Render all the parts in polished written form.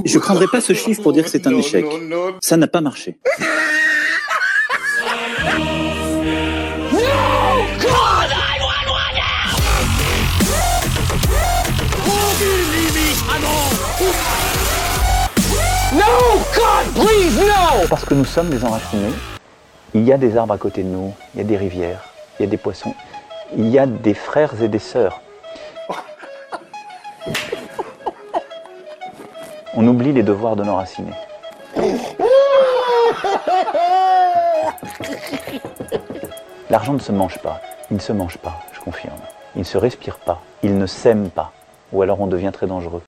Je ne prendrai pas ce chiffre pour dire que c'est un échec. Ça n'a pas marché. No, God, please, no! Parce que nous sommes des enracinés. Il y a des arbres à côté de nous, il y a des rivières, il y a des poissons, il y a des frères et des sœurs. On oublie les devoirs de l'enraciné. L'argent ne se mange pas, il ne se mange pas, je confirme. Il ne se respire pas, il ne sème pas, ou alors on devient très dangereux.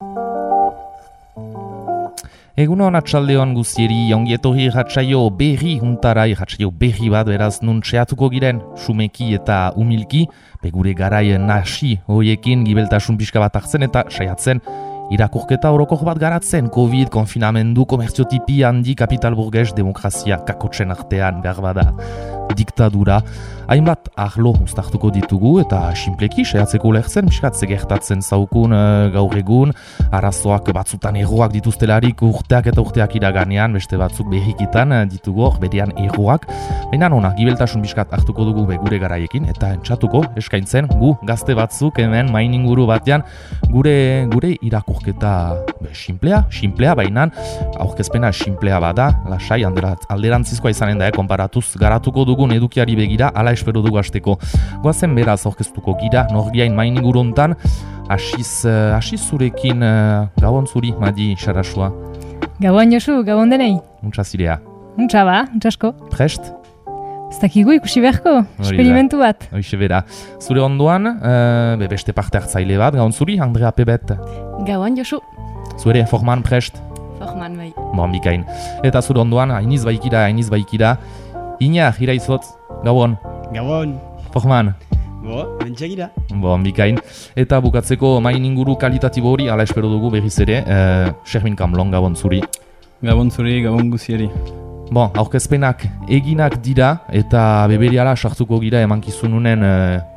Egunon atxaldeon guztieri, ongietorri irratsaio berri huntara, irratsaio berri bat beraz nun txeatuko giren, sumeki eta umilki, begure garai nasi hoiekin gibeltasun pixka bat hartzen eta saiatzen irakurketa orokor bat garatzen, Covid, konfinamendu, komertziotipi handi, kapital burges, demokrazia kakotzen artean behar bada, diktadura, hainbat arlo uztartuko ditugu eta sinpleki saiatzeko ulertzen, pixkat gertatzen zaukun gaur egun, arazoak batzutan erroak dituztelarik urteak eta urteak iraganean, beste batzuk berrikitan ditugu hor berean erroak, baina nona, gibeltasun pixkat hartuko dugu begure garaiekin eta entzatuko eskaintzen gu gazte batzuk hemen main inguru batean gure irakurketa simplea, baina aurkezpena simplea bada, lasai alderantzizkoa izanen da, konparatuz garatuko dugun edukiari begira, ala espero dugu hasteko. Goazen beraz aurkeztuko gira, norgiain main inguru hontan, hasiz zurekin gabon zuri, Madi Sarasua. Gabon Josu, gabon denei. Untsa zirea. Untsa ba, untsasko. Prest? Ez dakigu ikusi beharko, esperimentu bat. Hoixe bera. Zure ondoan, beste parte hartzaile bat, gabon zuri, Andrea Pebet. Gabon Josu. Zure, Forman prest? Forman bai. Bon, bikain. Eta zure ondoan, hainiz baikira. Iñar, iraizotz, gabon. Gabon. Forman. Mentxegira. Bon, bikain. Eta bukatzeko main inguru kalitatibo hori, ala espero dugu berriz ere, Shermin Kamlon, gabon zuri. Gabon zuri, gabon guzieri. Bon, aurkezpenak eginak dira eta beberiala sartuko gira emankizununen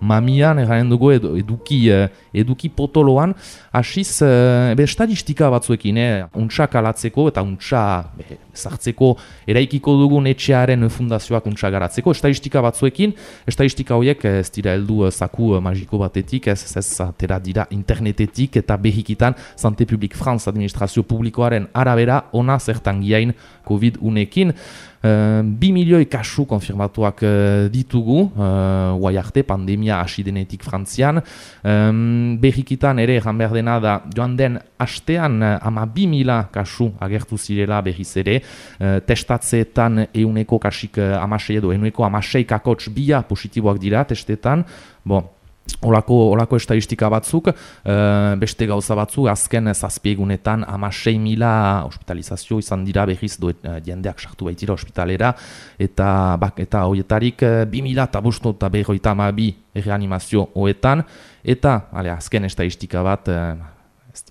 mamian, erranen dugu eduki potoloan, hasiz estadistika batzuekin, untsak alatzeko eta untsa zartzeko eraikiko dugun etxearen fundazioak untsa garatzeko, estadistika batzuekin, estadistika horiek ez dira heldu zaku magiko batetik, ez atera dira internetetik eta behikitan Santé Publique France administrazio publikoaren arabera ona zertan giain Covid unekin. 2 milioi kasu konfirmatuak ditugu, guai arte pandemia hasi denetik Frantzian. Berrikitan ere egan behar dena da joan den astean 12.000 kasu agertu zirela berriz ere. Testatzeetan euneko kasik amasei edo euneko amasei kakotx bia positiboak dira testetan. Olako estadistika batzuk, beste gauza batzuk, azken zazpiegunetan 16.000 hospitalizazio izan dira berriz jendeak sartu baitira hospitalera, eta horietarik 2.500 eta 52 reanimazio hoetan, eta azken estadistika bat,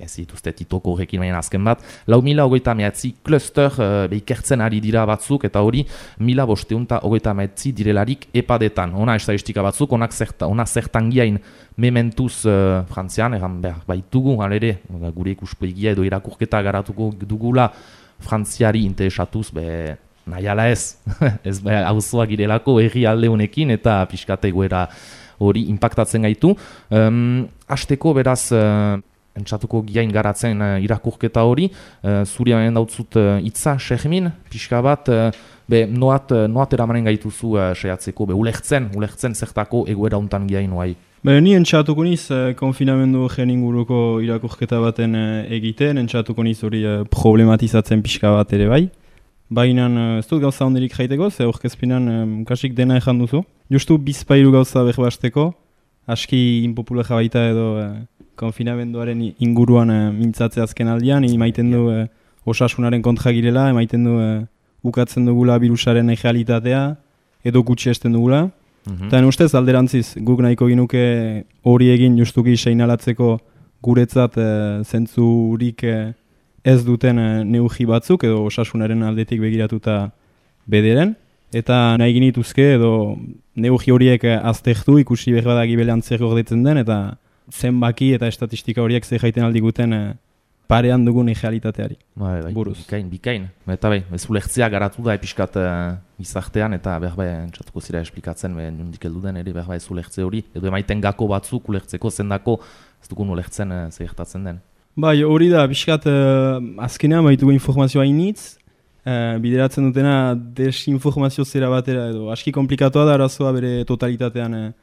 ez dituzte titoko horrekin baina azken bat, 4.029 kluster ikertzen ari dira batzuk, eta hori 1.529 direlarik epadetan. Ona estadistika batzuk, ona zertan giain mementuz Frantzian, egan behar baitugu, alere, gure ikuspegia edo irakurketa garatuko dugula Frantziari interesatuz, nahiala ez, ez hauzoak girelako herri alde honekin, eta pixkate goera hori impactatzen gaitu. Hasteko beraz, entzatuko giain garatzen irakurketa hori, zuri hamen dautzut itza, Shermin, pixka bat, noat eramanen gaituzu saiatzeko, ulertzen zertako egoera hontan giain oai. Ni entzatuko niz konfinamendu gen inguruko irakurketa baten egiten, entzatuko niz hori problematizatzen pixka bat ere bai. Baina ez dut gauza honderik jaiteko, ze aurkezpinan kasik dena ezan duzu. Justu bizpairu gauza behbasteko, aski inpopulara baita edo konfinamenduaren inguruan mintzatzea azken aldian, emaiten du osasunaren kontra girela, emaiten du ukatzen dugula virusaren realitatea, edo gutxi esten dugula. Eta ustez alderantziz, guk nahiko ginuke hori egin justuki seinalatzeko guretzat zentzurik ez duten neugi batzuk, edo osasunaren aldetik begiratuta bederen, eta nahi ginituzke edo neugi horiek aztertu ikusi behar bada gibelean zer gordetzen den, eta zenbaki eta estatistika horiek zer jaiten aldiguten parean dugun realitateari. Bai, buruz. Bikain. Eta ez ulertzea garatu da episkat gizartean, eta entzatuko zira esplikatzen, nondik heldu den ere, ez ulertze hori, edo emaiten gako batzuk ulertzeko zendako, ez dugun ulertzen zertatzen den. Bai, hori da, pixkat azkenean baitugu informazioa initz, bideratzen dutena desinformazio zera batera edo aski komplikatoa da arazoa bere totalitatean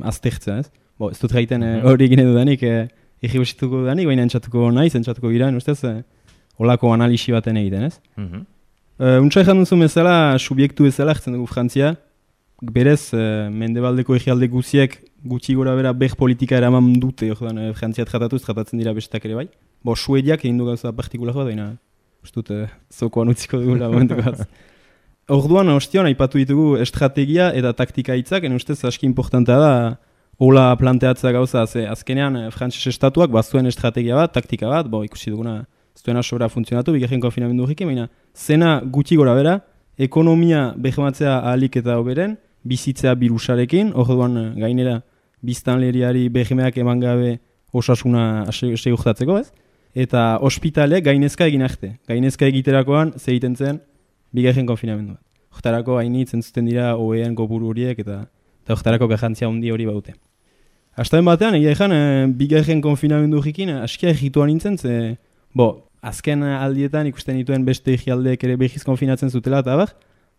aztertzea, ez? Ez dut gaiten hori egin dudanik, egibosituko dudanik, baina entzatuko gira, ustez, holako analisi baten egiten, ez? Untsa ezan duzu bezala, subiektu bezala, ertzen dugu Frantzia, berez, mendebaldeko egialde guziek gutxi gora bera beh politika eraman dute, Frantzia tratatzen dira bestak ere bai. Suediak egin du gauza partikulako, baina ustut, zokoan utziko dugula momentuko bat. Orduan, ostion, aipatu ditugu estrategia eta taktika hitzak, ustez aski importantea da, hola planteatzea gauza, azkenean Frantses estatuak bazuen estrategia bat, taktika bat, ikusi duguna, zuena sobra funtzionatu, bigarren konfinamendu horrekin, baina zena gutxi gora bera, ekonomia behematzea ahalik eta hoberen, bizitzea birusarekin, orduan gainera biztanleriari behemeak eman gabe osasuna segurtatzeko, ez? Eta ospitaleek gainezka egin arte. Gainezka egiterakoan zegiten zen bigarren konfinamendu bat. Hortarako hainitz entzuten dira OEan kopuru horiek eta hortarako garrantzia handi hori baute. Hastaben batean, egia ezan, bigarren konfinamendu horrekin askia egituan nintzen, azken aldietan ikusten dituen beste egialdeek ere behiz konfinatzen zutela eta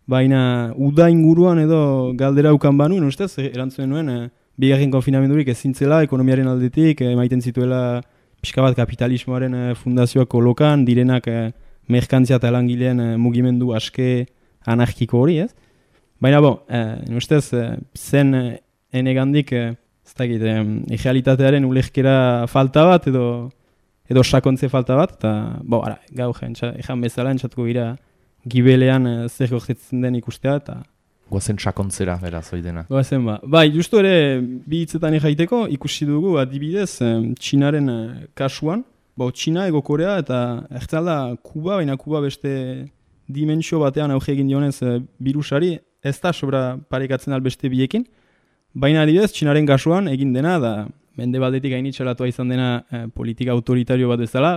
baina uda inguruan edo galdera ukan banuen, ustez, erantzuen nuen, bigarren konfinamendurik ezintzela, ekonomiaren aldetik, maiten zituela pixka bat kapitalismoaren fundazioak kolokan, direnak merkantzia eta langileen mugimendu aske anarkiko hori, ez? Baina, ustez, zen enegandik, ez dakit, egalitatearen ulerkera falta bat edo sakontze falta bat, eta, gau ezan bezala entzatuko gira gibelean zer gortetzen den ikustea, eta Goazen sakontzera, beraz, oidena. Goazen Bai, justu ere, bi hitzetan egaiteko, ikusi dugu, adibidez, Txinaren kasuan, Txina, Ego Korea, eta ertzalda Kuba, baina Kuba beste dimentsio batean auge egin dionez birusari, ez da sobra parekatzen albeste biekin, baina adibidez, Txinaren kasuan egin dena, da mendebaldetik gainitxalatua izan dena politika autoritario bat ezala,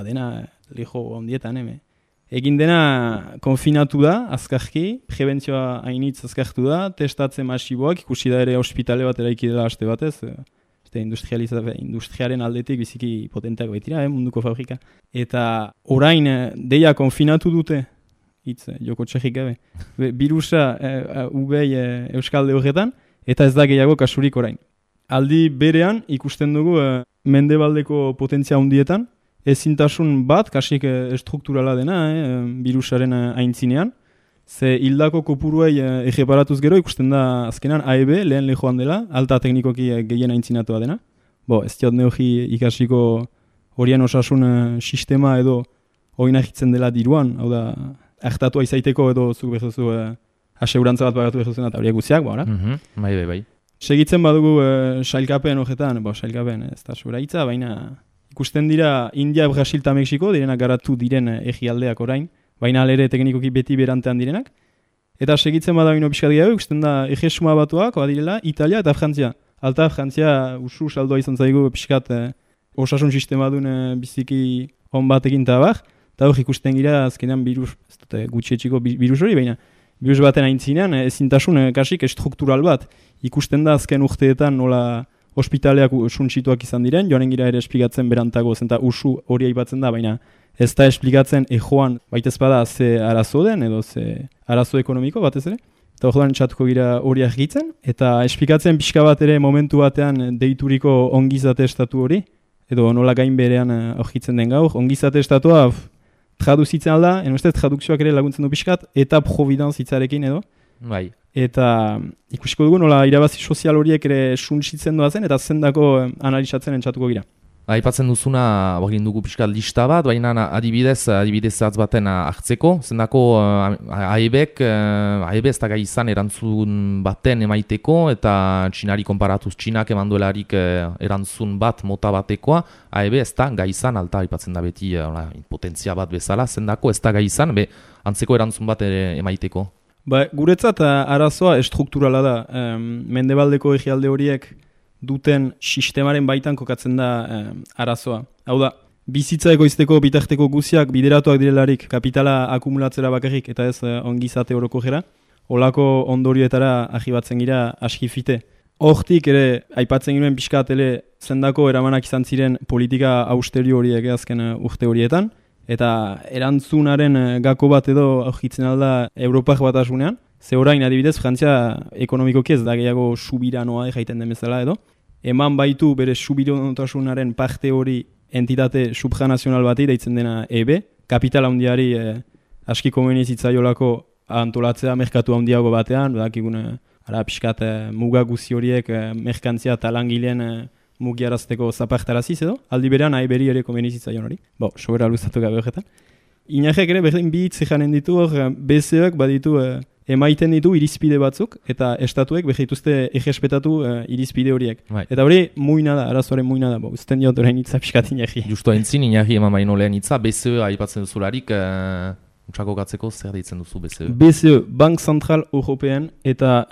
dena leho ondietan, egin dena konfinatu da, azkarki, prebentzioa hainitz azkartu da, testatzen masiboak, ikusi da ere ospitale bat eraiki dela aste batez, industriaren aldetik biziki potenteak baitira, munduko fabrika. Eta orain deia konfinatu dute, joko txekik gabe, birusa ubei euskalde horretan, eta ez da gehiago kasurik orain. Aldi berean ikusten dugu mendebaldeko potentzia handietan, ezintasun bat, kasik estrukturala dena, birusaren aintzinean, ze hildako kopuruei egeparatuz gero ikusten da azkenan AEB, lehen lehoan dela, alta teknikoki gehien aintzinatua dena. Ez diot neogi ikasiko horien osasun sistema edo oinahitzen dela diruan, hau da, hartatua izaiteko edo zuk behuzu aseurantza bat pagatu behuzena eta horiek guziak, Bai. Segitzen badugu sailkapen horretan, sailkapen ez da sobra hitza, baina ikusten dira India, Brasil eta Mexiko, direnak garatu diren egialdeak orain, baina alere teknikoki beti berantean direnak. Eta segitzen badagino pixkat gehiago, ikusten da egesuma batuak, badirela, Italia eta Frantzia. Alta, Frantzia usu saldoa izan zaigu pixkat osasun sistema duen biziki on batekin eta eta hor ikusten gira azkenean virus, ez dute gutxietxiko virus hori, baina virus baten aintzinean ezintasun kasik struktural bat. Ikusten da azken urteetan nola ospitaleak suntsituak izan diren, joanen gira ere esplikatzen berantago zen, eta usu hori aipatzen da, baina ez da esplikatzen joan baitez bada ze arazo den, edo ze arazo ekonomiko batez ere. Eta orduan txatuko gira hori argitzen, eta esplikatzen pixka bat ere momentu batean deituriko ongizate estatu hori, edo nola gain berean aurkitzen den gaur, ongizate estatua traduzitzen alda, ustez tradukzioak ere laguntzen du pixkat, eta providence hitzarekin edo. Bai. Eta ikusiko dugu nola irabazi sozial horiek ere suntsitzen doazen, eta zendako analizatzen entzatuko gira. Aipatzen duzuna, egin dugu pixka lista bat, baina adibidez atz baten hartzeko, zendako AEB ez da gai izan erantzun baten emaiteko, eta Txinari konparatuz Txinak eman duelarik erantzun bat mota batekoa, AEB ez da gai izan, alta aipatzen da beti potentzia bat bezala, zendako ez da gai izan, antzeko erantzun bat emaiteko. Guretzat arazoa estrukturala da, mendebaldeko egialde horiek duten sistemaren baitan kokatzen da arazoa. Hau da, bizitza egoizteko bitarteko guziak bideratuak direlarik kapitala akumulatzera bakarrik eta ez ongizate orokojera, olako ondorioetara ahibatzen gira askifite. Hortik ere, aipatzen giruen pixkat zendako eramanak izan ziren politika austerio horiek azken urte horietan, eta erantzunaren gako bat edo aurkitzen alda Europak batasunean, ze orain adibidez Frantzia ekonomikoki ez da gehiago subiranoa jaiten den bezala edo, eman baitu bere subiranotasunaren parte hori entitate subjanazional bati deitzen dena EB, kapital handiari aski komeni zitzaiolako antolatzea merkatu handiago batean, badakigune ara pixkat muga guzi horiek merkantzia eta langileen mugiarazteko zapartaraziz edo, aldi berean AEB-ri ere komeni zitzaion hori. Sobera luzatu gabe horretan. Inajek ere berdin bi hitz janen ditu hor, BCEak baditu emaiten ditu irizpide batzuk, eta estatuek behituzte egespetatu irizpide horiek. Bai. Eta hori muina da, arazoaren muina da, uzten diot orain hitza pixkat Inajki. Justo entzin, Inajki eman baino lehen hitza, BCE aipatzen duzularik, utsako gatzeko zer deitzen duzu BCE? BCE, Bank Central European, eta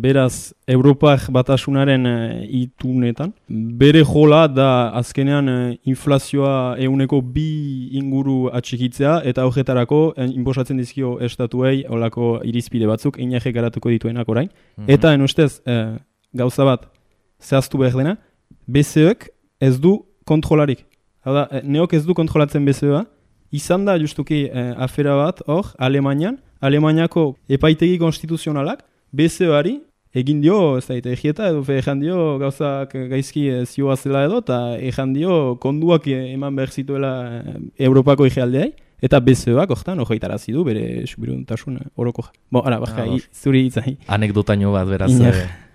beraz Europak batasunaren itunetan. Bere jola da azkenean inflazioa 2% inguru atxikitzea, eta horretarako inposatzen dizkio estatuei olako irizpide batzuk, Inajek garatuko dituenak orain. Eta ustez gauza bat zehaztu behar dena, BCEek ez du kontrolarik. Hau da, neok ez du kontrolatzen BCEa, izan da justuki afera bat hor, Alemaniako epaitegi konstituzionalak BCEari egin dio, ez da, egieta edo ejan dio gauzak gaizki zioa zela edo, eta ejan dio konduak eman behar zituela Europako egealdeai, eta BCEak hortan hogeitarazi du bere subiranotasun oroko. Zuri hitzai. Anekdotaino bat beraz,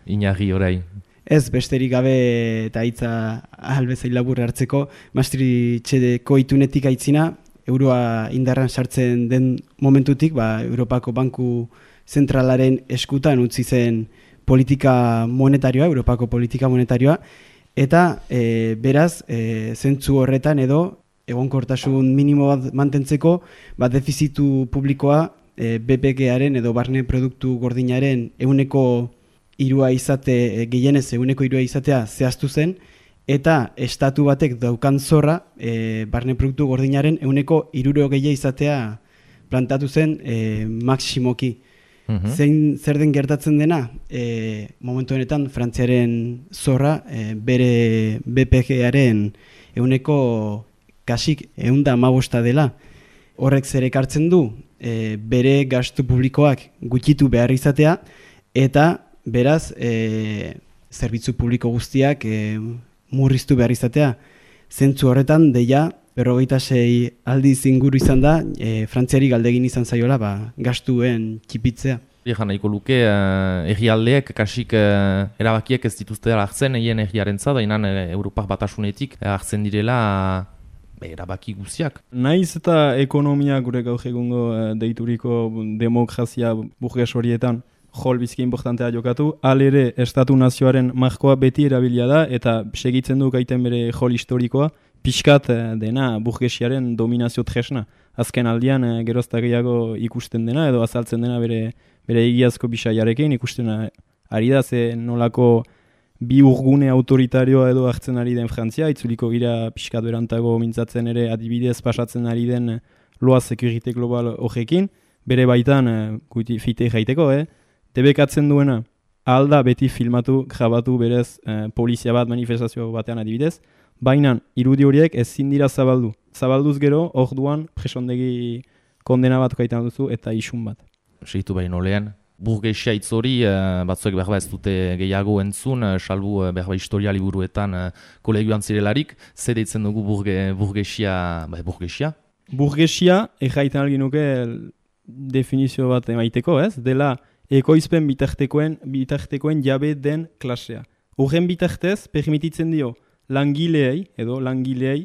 Inajki orain. Ez, besterik gabe eta hitza albezain labur hartzeko, Maastrichteko itunetik aitzina, euroa indarran sartzen den momentutik, Europako Banku Zentralaren eskutan utzi zen politika monetarioa, Europako politika monetarioa, eta beraz, zentzu horretan edo, egonkortasun minimo bat mantentzeko, defizitu publikoa BPK-aren edo barne produktu gordinaren 3% izate, gehienez 3% izatea zehaztu zen, eta estatu batek daukan zorra barne produktu gordinaren 60% izatea plantatu zen maksimoki. Zer den gertatzen dena, momentu honetan Frantziaren zorra bere BPK-aren 100 kasik 115 dela. Horrek zer ekartzen du, bere gastu publikoak gutxitu behar izatea, eta beraz, zerbitzu publiko guztiak murriztu behar izatea. Zentzu horretan, deia, 56 aldiz inguru izan da, Frantziari galdegin izan zaiola, gastuen txipitzea. Egan nahiko luke, herrialdeek kasik erabakiek ez dituzte hartzen, egin herriarentzat, dainan Europak batasunetik hartzen direla erabaki guztiak. Naiz eta ekonomia gure gaur egungo deituriko demokrazia burges horietan jol bizki importantea jokatu, alere estatu nazioaren markoa beti erabilia da eta segitzen du gaiten bere jol historikoa, pixkat dena burgesiaren dominazio tresna. Azken aldian gerozta gehiago ikusten dena edo azaltzen dena bere egiazko bisaiarekin ikusten ari da ze nolako bi urgune autoritarioa edo hartzen ari den Frantzia, itzuliko gira pixkat berantago mintzatzen ere adibidez pasatzen ari den loa security global horrekin, bere baitan fite jaiteko, debekatzen duena alda beti filmatu, grabatu berez polizia bat manifestazio batean adibidez, baina irudi horiek ezin dira zabaldu. Zabalduz gero, orduan presondegi kondena bat kaitan duzu eta isun bat. Segitu baino lehen, burgesia hitz hori batzuek berba ez dute gehiago entzun, salbu berba historia liburuetan kolegioan zirelarik, ze deitzen dugu burgesia? Burgesia, egaitan algin nuke definizio bat emaiteko, ez? Dela ekoizpen bitartekoen jabe den klasea. Horren bitartez, permititzen dio langileei,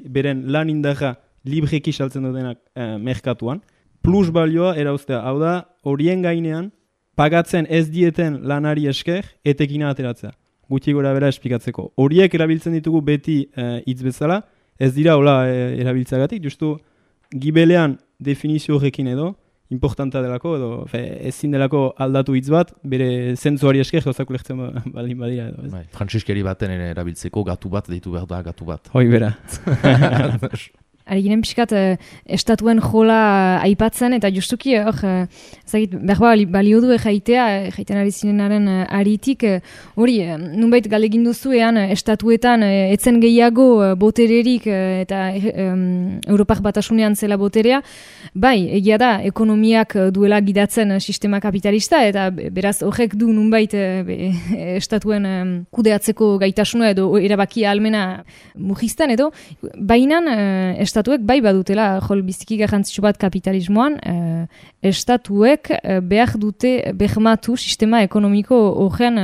beren lan indarra libreki saltzen dutenak merkatuan, plus balioa erauztea. Hau da, horien gainean, pagatzen ez dieten lanari esker, etekina ateratzea. Gutxi gora bera esplikatzeko. Horiek erabiltzen ditugu beti hitz bezala, ez dira hola erabiltzagatik, justu gibelean definizio horrekin edo, importanta delako, edo ezin delako aldatu hitz bat, bere zentzuari esker gauzak ulertzen baldin badira edo. Frantziskeri baten erabiltzeko gatu bat, deitu behar da gatu bat. Hoi bera. Ari ginen pixkat estatuen jola aipatzen, eta justuki, behar balio du jaiten ari zinenaren aritik, hori, nunbait galegin duzu estatuetan etzen gehiago botererik eta Europak batasunean zela boterea, bai, egia da, ekonomiak duela gidatzen sistema kapitalista, eta beraz horrek du nunbait estatuen kudeatzeko gaitasuna edo erabaki ahalmena mugiztan edo, bainan estatuek bai badutela biziki garrantzitsu bat kapitalismoan, estatuek behar dute behmatu sistema ekonomiko horren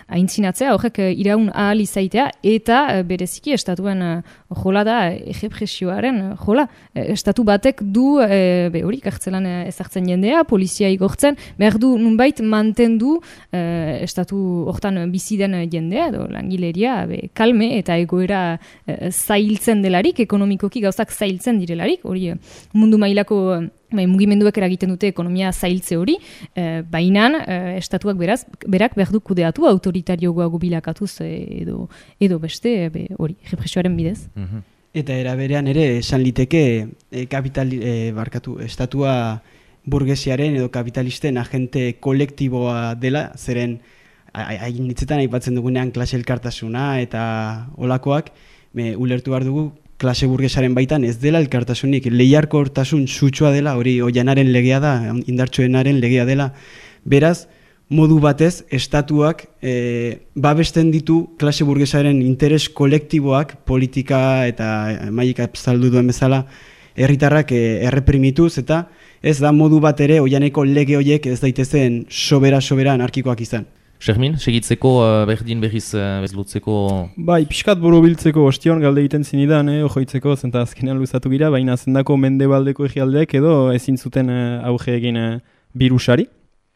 aintzinatzea, horrek iraun ahal izaitea, eta bereziki estatuen jola da errepresioaren jola. Estatu batek du, hori kartzelan ezartzen jendea, polizia igortzen, behar du nunbait mantendu estatu hortan bizi den jendea, edo langileria kalme eta egoera zailtzen delarik, ekonomikoki gauzak zailtzen direlarik, hori mundu mailako mugimenduek eragiten dute ekonomia zailtze hori, bainan estatuak berak behar du kudeatu autoritarioago bilakatuz edo beste hori, represioaren bidez. Eta era berean ere esan liteke estatua burgesiaren edo kapitalisten agente kolektiboa dela, zeren hainitzetan aipatzen dugunean klase elkartasuna eta olakoak, ulertu behar dugu klase burgesaren baitan ez dela elkartasunik, lehiarkortasun sutsua dela, hori oianaren legea da, indartsuenaren legea dela. Beraz, modu batez, estatuak babesten ditu klase burgesaren interes kolektiboak, politika eta mailika zaldu duen bezala, herritarrak erreprimituz, eta ez da modu bat ere oianeko lege horiek ez daitezen sobera anarkikoak izan. Xermin, segitzeko berdin berriz bezlutzeko... Bai, pixkat borobiltzeko ostion galde egiten zinidan, ojoitzeko, zenta azkenean luzatu gira, baina zendako mendebaldeko egialdeek edo ezin zuten auge egin birusari.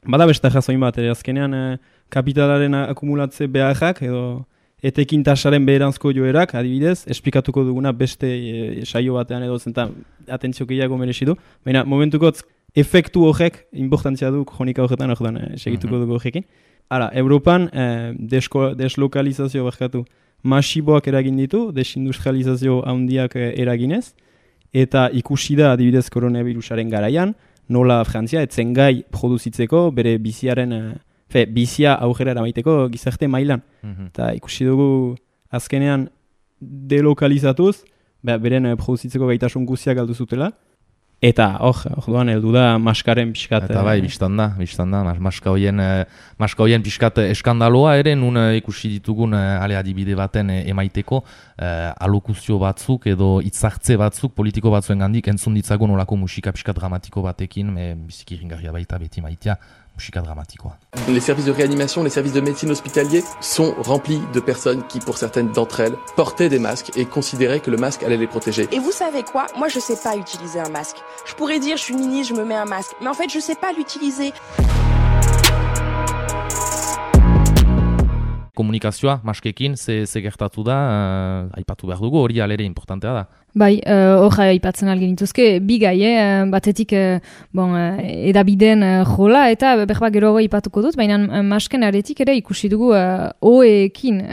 Bada beste jazoin bat, azkenean kapitalaren akumulatze beharrak edo etekin tasaren beheranzko joerak, adibidez, esplikatuko duguna beste saio batean edo zenta atentzio gehiago merezidu, baina momentukotz efektu horrek importantzia du kronika horretan segituko dugu horrekin. Hala, Europan deslokalizazio masiboak eragin ditu, desindustrializazio handiak eraginez, eta ikusi da adibidez koronavirusaren garaian, nola Frantzia etzen gai produzitzeko bere bizia aurrera eramaiteko gizarte mailan. Eta ikusi dugu azkenean delokalizatuz, beren produzitzeko gaitasun guztiak galdu zutela, eta orduan heldu da maskaren pixkat... Eta bai, biztan da, maska hoien pixkat eskandaloa ere, nun ikusi ditugun adibide baten emaiteko alokuzio batzuk edo hitzartze batzuk, politiko batzuen gandik entzun ditzagun olako musika pixkat dramatiko batekin, biziki ringarria baita beti maitea, musika dramatikoa. Les services de réanimation, les services de médecine hospitalier sont remplis de personnes qui, pour certaines d'entre elles, portaient des masques et considéraient que le masque allait les protéger. Et vous savez quoi? Moi, je sais pas utiliser un masque. Je pourrais dire, je suis ministre, je me mets un masque. Mais en fait, je sais pas l'utiliser. Komunikazioa, maskekin, ze gertatu da, aipatu behar dugu, hori alere importantea da. Bai, hor aipatzen algen dituzke, bi gai, batetik edabideen jola, eta berba gero aipatuko dut, baina masken aretik ere ikusi dugu oeekin,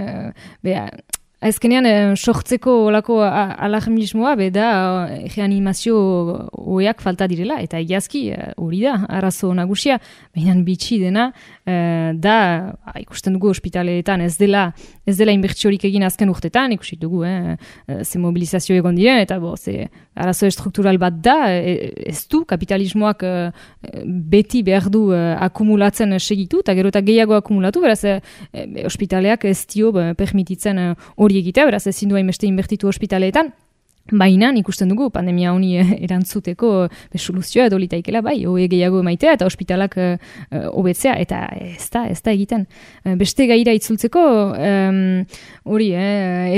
azkenean sortzeko olako alarmismoa da reanimazio oeak falta direla, eta egiazki hori da, arazo nagusia, baina bitxi dena, da ikusten dugu ospitaleetan ez dela inbertsiorik egin azken urtetan, ikusi dugu, ze mobilizazio egon diren, eta ze arazo estruktural bat da, ez du kapitalismoak beti behar du akumulatzen segitu, eta gero eta gehiago akumulatu, beraz ospitaleak ez dio permititzen hori egitea, beraz ezin du hainbeste inbertitu ospitaleetan, baina ikusten dugu pandemia honi erantzuteko soluzioa edo litaikela, bai, hoe gehiago emaitea eta ospitalak hobetzea, eta ez da egiten. Beste gaira itzultzeko, hori,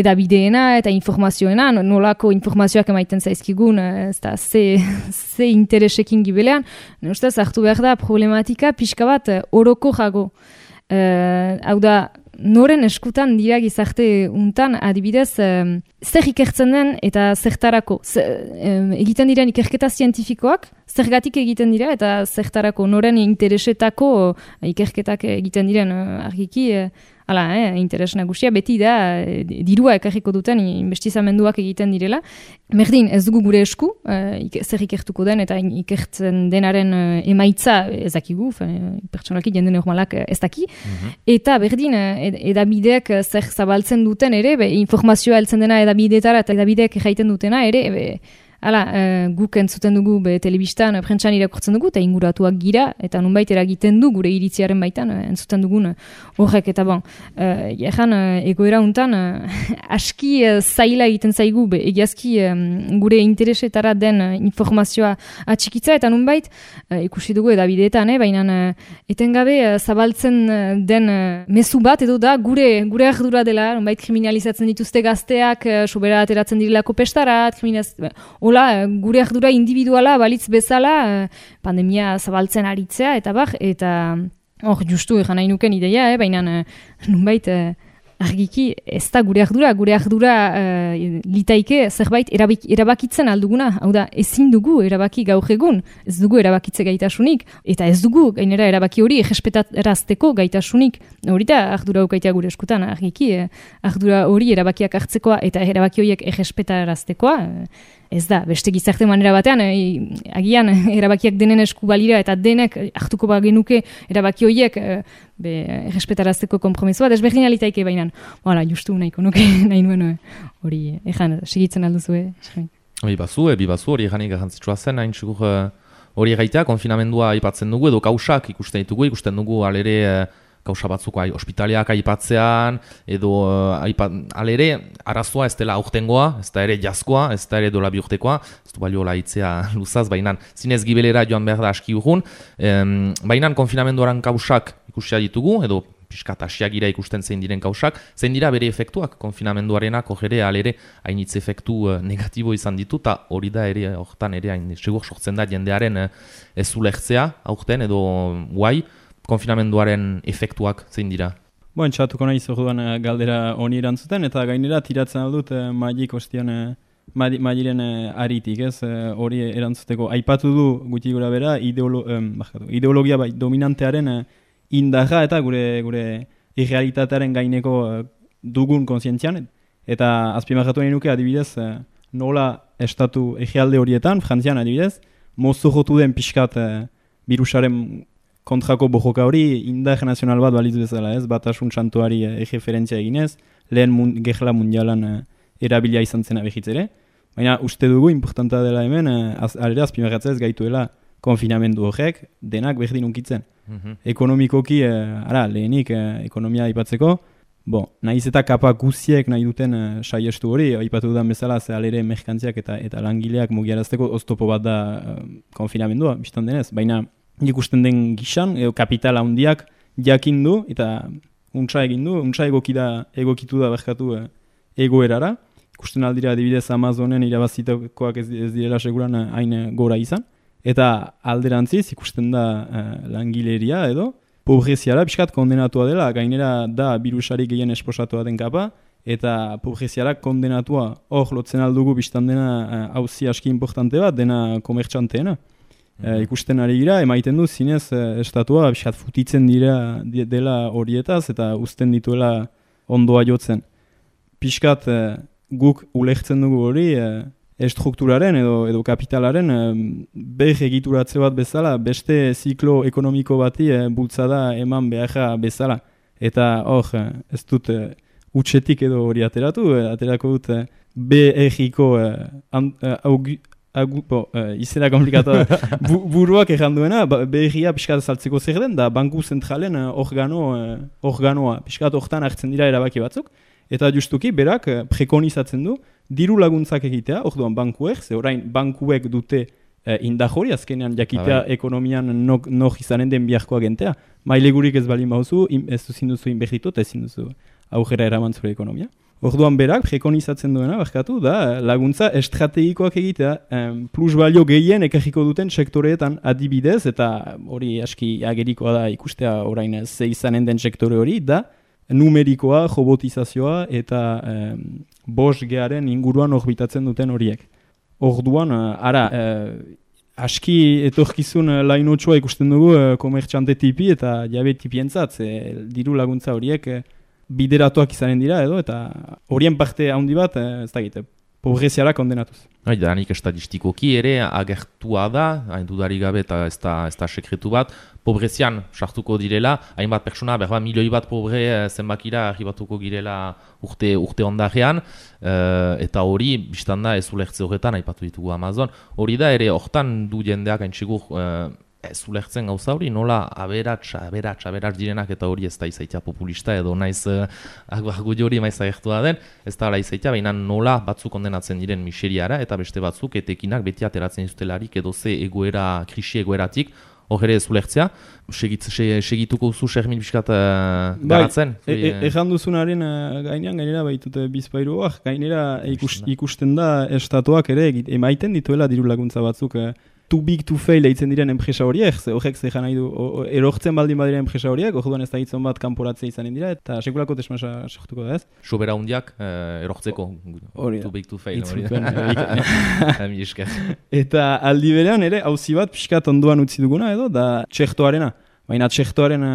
edabideena eta informazioena, nolako informazioak emaiten zaizkigun, ez da, ze interesekin gibelean, ustez hartu behar da problematika pixka bat oroko jago. Hau da, noren eskutan dira gizarte untan, adibidez, zer ikertzen den eta zertarako. Egiten diren ikerketa zientifikoak, zergatik egiten dira eta zertarako noren interesetako ikerketak egiten diren argiki interes nagusia beti da dirua ekarriko duten investizamenduak egiten direla. Merdin, ez dugu gure esku, zer ikertuko den eta ikertzen denaren emaitza ez dakigu, pertsonalki jende normalak ez daki. Eta berdin, edabideek zer zabaltzen duten ere, informazioa heltzen dena edabideetara eta edabideek jaiten dutena ere, guk entzuten dugu telebistan, prentsan irakurtzen dugu, eta inguratuak gira, eta nunbait eragiten du gure iritziaren baitan, entzuten dugun horrek, eta egoera untan, aski zaila egiten zaigu, egiazki gure interesetara den informazioa atxikitza, eta nunbait, ikusi dugu edabideetan, baina etengabe zabaltzen den mezu bat, edo da gure ardura dela, nunbait kriminalizatzen dituzte gazteak, sobera ateratzen dirilako pestarat, gure ardura individuala balitz bezala pandemia zabaltzen aritzea eta hor justu egan nahi nuken ideia, baina nunbait argiki ez da gure ardura litaike zerbait erabakitzen alduguna, hau da ezin dugu erabaki gaur egun, ez dugu erabakitze gaitasunik, eta ez dugu gainera erabaki hori errespetarazteko gaitasunik, hori da ardura ukaitea gure eskutan, argiki ardura hori erabakiak hartzekoa eta erabaki horiek errespetaraztekoa, ez da, beste gizarte manera batean, agian erabakiak denen esku balira eta denek hartuko bagenuke erabaki horiek errespetarazteko konpromisoa, desberdin alitaike bainan. Justu nahiko nuke nahi nuen hori, segitzen alduzue. Bibazu hori eganik garrantzitsua zen, hain txukur hori egaitea, konfinamendua aipatzen dugu, edo kausak ikusten dugu alere kausa batzuk ospitaleak aipatzean, edo alere arazoa ez dela aurtengoa, ez da ere jazkoa, ez da ere dola biurtekoa, ez du balio laitzea luzaz, baina zinez gibelera joan behar da aski urrun, baina konfinamenduaren kausak ikusia ditugu, edo piskat asiagira ikusten zein diren kausak, zein dira bere efektuak konfinamenduarenak ere alere hainitz efektu negatibo izan ditu, eta hori da ere hortan ere hain segur sortzen da jendearen ez ulertzea aurten edo guai, konfinamenduaren efektuak zein dira? Txatuko nahi zorduan galdera honi erantzuten, eta gainera tiratzen aldut Magik ostian Magiren aritik, ez? Hori erantzuteko. Aipatu du guti gura bera ideologia dominantearen indarra eta gure irrealitatearen gaineko dugun kontzientzian, eta azpimarratu nahi nuke adibidez nola estatu egealde horietan, Frantzian adibidez, mozorrotu den pixkat birusaren kontrako bojoka hori indar nazional bat balitz bezala, ez? Batasun santuari erreferentzia eginez, lehen gerla mundialan erabilia izan zena behitzere. Baina uste dugu, importanta dela hemen, alere azpimarratzea ez gaituela konfinamendu horrek, denak berdin unkitzen. Ekonomikoki, lehenik ekonomia aipatzeko, nahiz eta kapa guziek nahi duten saiestu hori, aipatu dudan bezala, ze alere merkantziak eta langileak mugiarazteko oztopo bat da konfinamendua, biztan denez, baina ikusten den gizan, kapitala handiak jakin du, eta untsa egin du, untsa egokitu da berkatu egoerara. Ikusten aldira adibidez Amazonen irabazitakoak ez direla seguran hain gora izan. Eta alderantziz ikusten da langileria edo, pobreziara pixkat kondenatua dela, gainera da birusari gehien esposatua den kapa, eta pobreziara kondenatua hor lotzen aldugu biztan dena hauzi aski importante bat, dena komertxanteena. Ikusten ari gira, emaiten du zinez estatua pixkat futitzen dela horietaz eta uzten dituela ondoa jotzen. Pixkat guk ulertzen dugu hori estrukturaren edo kapitalaren behar egituratze bat bezala, beste ziklo ekonomiko bati bultzada eman beharra bezala. Eta hor, ez dut utxetik edo hori aterako dut BR-iko izena komplikatu buruak erranduena, BR-ia pixkat saltzeko zer den, da banku zentralen organoa, pixkat hortan hartzen dira erabaki batzuk, eta justuki berak prekonizatzen du diru laguntzak egitea, orduan bankuek, ze orain bankuek dute indar hori, azkenean jakitea ekonomian nok izanen den biharkoa gentea. Mailegurik ez balin bauzu, ez duzin duzu inbertitu eta ezin duzu aurrera eraman zure ekonomia. Orduan berak prekonizatzen duena, barkatu, da laguntza estrategikoak egitea, plus balio gehien ekarriko duten sektoreetan adibidez, eta hori aski agerikoa da ikustea orain ze izanen den sektore hori, da numerikoa, robotizazioa eta 5Garen inguruan orbitatzen duten horiek. Orduan, aski etorkizun lainotsua ikusten dugu komertxante tipi eta jabe tipientzat, diru laguntza horiek bideratuak izanen dira edo, eta horien parte handi bat, ez da egite, pobreziara kondenatuz. Da, nik estadistikoki ere agertua da, hain dudarik gabe eta ez da sekretu bat, pobrezian sartuko direla, hainbat pertsona, milioi bat pobre zenbakira arribatuko girela urte ondarean, eta hori, biztanda ez ulertze horretan, aipatu ditugu Amazon, hori da ere hortan du jendeak hain txigur ez ulertzen gauza hori, nola aberats direnak eta hori ez da izaitia populista edo naiz argudio hori maiz agertua den, ez da izaitia, baina nola batzuk kondenatzen diren miseriara eta beste batzuk etekinak beti ateratzen izutelarik edo ze krisi egoeratik, hor ere ez ulertzea, segituko zu Xermin biskat garatzen? Ejan duzunaren gainera baitute bizpairuak, gainera ikusten da estatuak ere emaiten dituela diru laguntza batzuk too big to fail eitzen diren enpresa horiek, horrek zehan nahi du, erortzen baldin badira enpresa horiek, orduan ez da hitzon bat kanporatzea izanen dira, eta sekulako desmasa sortuko da ez. Sobera hundiak erortzeko, too big to fail. Eta aldi berean ere, auzi bat pixkat ondoan utzi duguna edo, da txertoarena. Baina txertoaren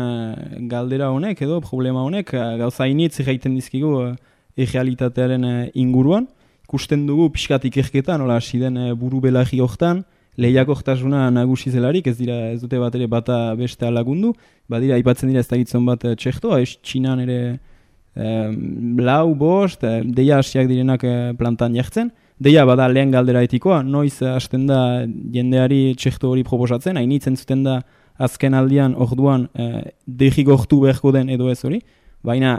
galdera honek edo, problema honek, gauza initz egiten dizkigu errealitatearen inguruan, ikusten dugu pixkat ikerketan, hola hasi den buru belagi hortan, lehiakortasuna nagusi zelarik, ez dute bat ere bata beste lagundu, badira aipatzen dira ez da gitzon bat txertoa, Txinan ere lau, bost, deia hasiak direnak plantan jartzen, deia bada lehen galdera etikoa, noiz hasten da jendeari txerto hori proposatzen, hainitzen zuten da azken aldian orduan degigortu beharko den edo ez hori, baina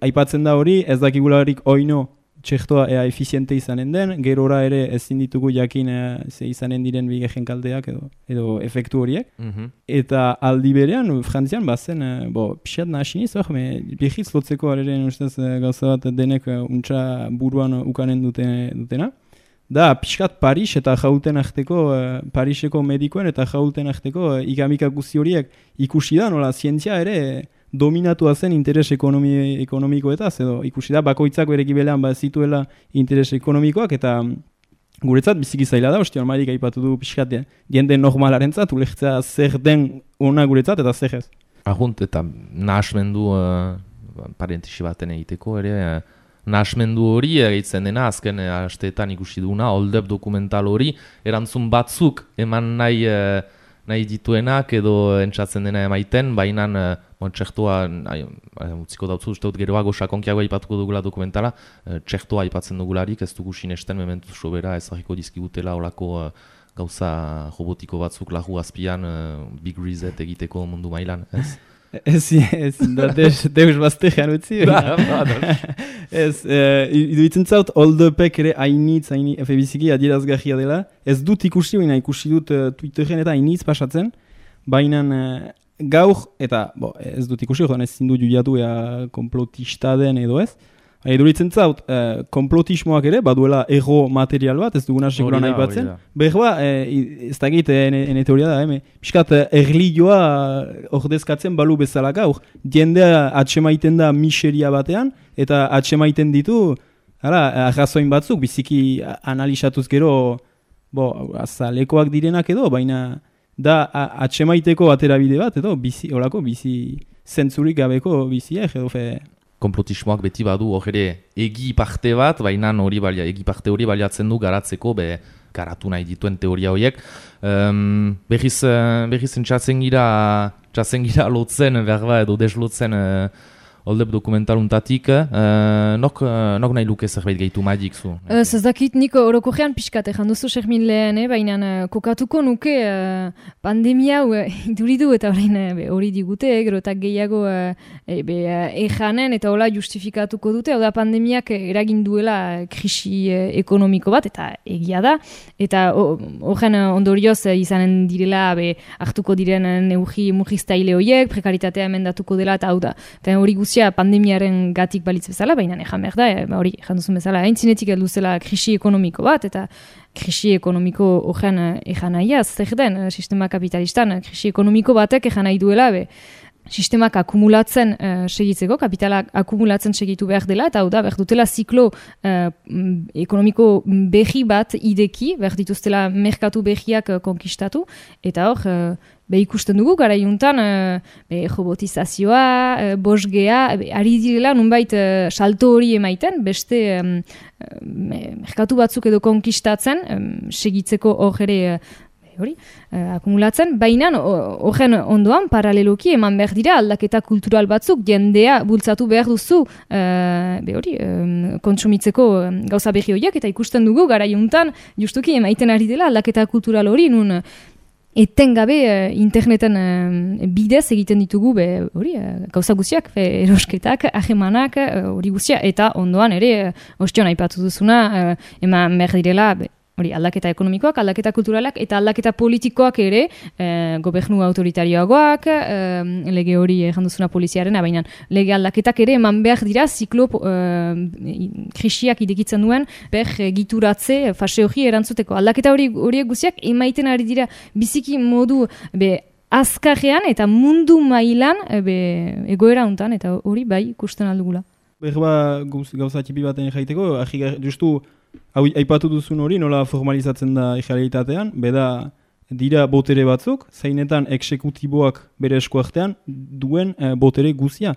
aipatzen da hori, ez dakigularik oino txertoa efiziente izanen den, gerora ere ezin ditugu jakin ze izanen diren bigehen kalteak edo efektu horiek. Eta aldi berean, Frantzian bazen, pixat nahasiniz, behitz lotzeko areren ustez gauza bat denek untsa buruan ukanen dutena. Da, pixkat Paris eta jauten arteko, Pariseko medikoen eta jauten arteko ikamika guzti horiek ikusi da, nola zientzia ere dominatua zen interes ekonomikoetaz, edo ikusi da, bakoitzak bere gibelean zituela interes ekonomikoak, eta guretzat biziki zaila da, osti normalik aipatu du pixkat, jende normalarentzat, ulertzea zer den ona guretzat, eta zer ez. Ahunt, eta nahasmendu, parentesi baten egiteko, ere, nahasmendu hori egitzen dena, azken asteetan ikusi duguna, Hold Up dokumental hori, erantzun batzuk eman nahi dituenak edo entzatzen dena emaiten, baina txertoa, utziko dautzu, uste dut geroago sakonkiago aipatuko dugula dokumentala, txertoa aipatzen dugularik, ez dugu sinesten mementu sobera ezagiko dizkigutela olako gauza robotiko batzuk lahu azpian big reset egiteko mundu mailan, ez? Ez, deus baztean utzi. Ez, iduitzen zaut, Hold Upek ere hainitz, biziki adierazgarria dela. Ez dut ikusi, baina ikusi dut Twitteren eta hainitz pasatzen, baina gaur, eta ez dut ikusi, ez zindu juiatu konplotista den edo ez. Iduritzen zaut, konplotismoak ere, baduela ego material bat, ez duguna sekuran aipatzen. Behar ez da egite, ene teoria da, piskat erlioa ordezkatzen balu bezala gaur. Jendea atxemaiten da miseria batean, eta atxemaiten ditu, arrazoin batzuk, biziki analizatuz gero, azalekoak direnak edo, baina da atxemaiteko aterabide bat, edo, horako bizi zentzurik gabeko biziek, edo konplotismoak beti badu ere egi parte bat, baina egi parte hori baliatzen du garatzeko garatu nahi dituen teoria horiek. Berriz entzatzen gira lotzen, berba edo deslotzen Hold Up dokumentaluntatik, nok nahi luke zerbait gehitu madik zu? Ez dakit nik orokorrean pixkat egin duzu Xermin lehen, baina kokatuko nuke pandemia hau iduridu eta hori digute, gero eta gehiago ejanen eta hola justifikatuko dute, hau da pandemiak eragin duela krisi ekonomiko bat, eta egia da, eta horren ondorioz izanen direla hartuko diren neugi mugiztaile horiek, prekaritatea emendatuko dela, eta hau da, hori guzti pandemiaren gatik balitz bezala, baina ejan behar da, hori ejan duzun bezala, haintzinetik heldu zela krisi ekonomiko bat, eta krisi ekonomiko horren ejan nahia, zer den, sistema kapitalistan, krisi ekonomiko batek ejan nahi duela, sistemak akumulatzen segitzeko, kapitalak akumulatzen segitu behar dela, eta hau da, behar dutela ziklo ekonomiko behi bat ideki, behar dituztela merkatu behiak konkistatu, eta hor, ikusten dugu, gara juntan, robotizazioa, bosgea, ari direla nunbait salto hori emaiten, beste merkatu batzuk edo konkistatzen, segitzeko hor ere akumulatzen, baina horren ondoan paraleloki eman behar dira aldaketa kultural batzuk, jendea bultzatu behar duzu kontsumitzeko gauza berri horiek, eta ikusten dugu gara juntan, justuki emaiten ari dela aldaketa kultural hori, nun etengabe interneten bidez egiten ditugu gauza guztiak, erosketak, ahemanak, hori guztia, eta ondoan ere, ostion aipatu duzuna, eman behar direla, aldaketa ekonomikoak, aldaketa kulturalak, eta aldaketa politikoak ere, gobernu autoritarioagoak, lege hori janduzuna poliziaren, baina lege aldaketak ere eman behar dira ziklo krisiak idekitzen duen, gituratze, fase hori erantzuteko. Aldaketa horiek guztiak emaiten ari dira biziki modu azkarrean eta mundu mailan egoera hontan, eta hori bai ikusten aldugula. Berba gauza txipi baten jaiteko, justu aipatu duzun hori nola formalizatzen da errealitatean, beda dira botere batzuk, zeinetan exekutiboak bere eskuartean duen botere guzia.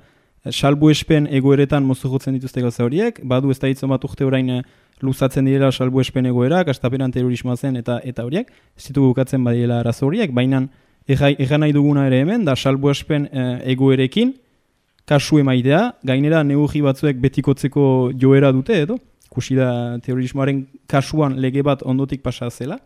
Salbuespen egoeretan mozorrotzen dituzte gauza horiek, badu ez da hitzon bat urte orain luzatzen direla salbuespen egoerak, astapenan terrorismoa zen eta horiek, ez ditugu bukatzen badirela arazo horiek, baina erran nahi duguna ere hemen, da salbuespen egoerekin, kasu emaitea, gainera neurri batzuek betikotzeko joera dute edo, kusi da terrorismoaren kasuan lege bat ondotik pasa zela,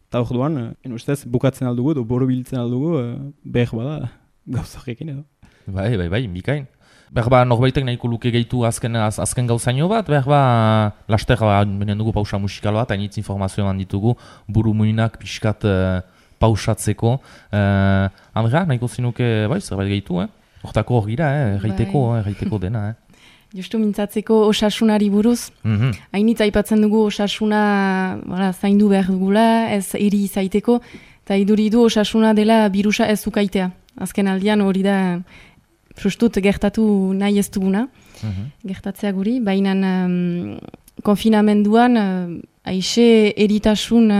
eta orduan, ustez, bukatzen aldugu edo borobiltzen aldugu, behar bada gauzarekin edo. Bai, bikain. Behar norbaitek nahiko luke gehitu azken gauzaino bat, behar laster benen dugu pausa musikal bat, hainitz informazio eman ditugu, buru muinak pixkat pausatzeko. Andrea, nahiko zinuke, zerbait gehitu, hortako hor gira, erraiteko dena, Justu mintzatzeko osasunari buruz. Hainitz aipatzen dugu osasuna zaindu behar dugula, ez eri zaiteko, eta iduridu osasuna dela birusa ez ukaitea. Azken aldian hori da frustut gertatu nahi ez duguna, gertatzea guri, baina konfinamenduan aixe eritasun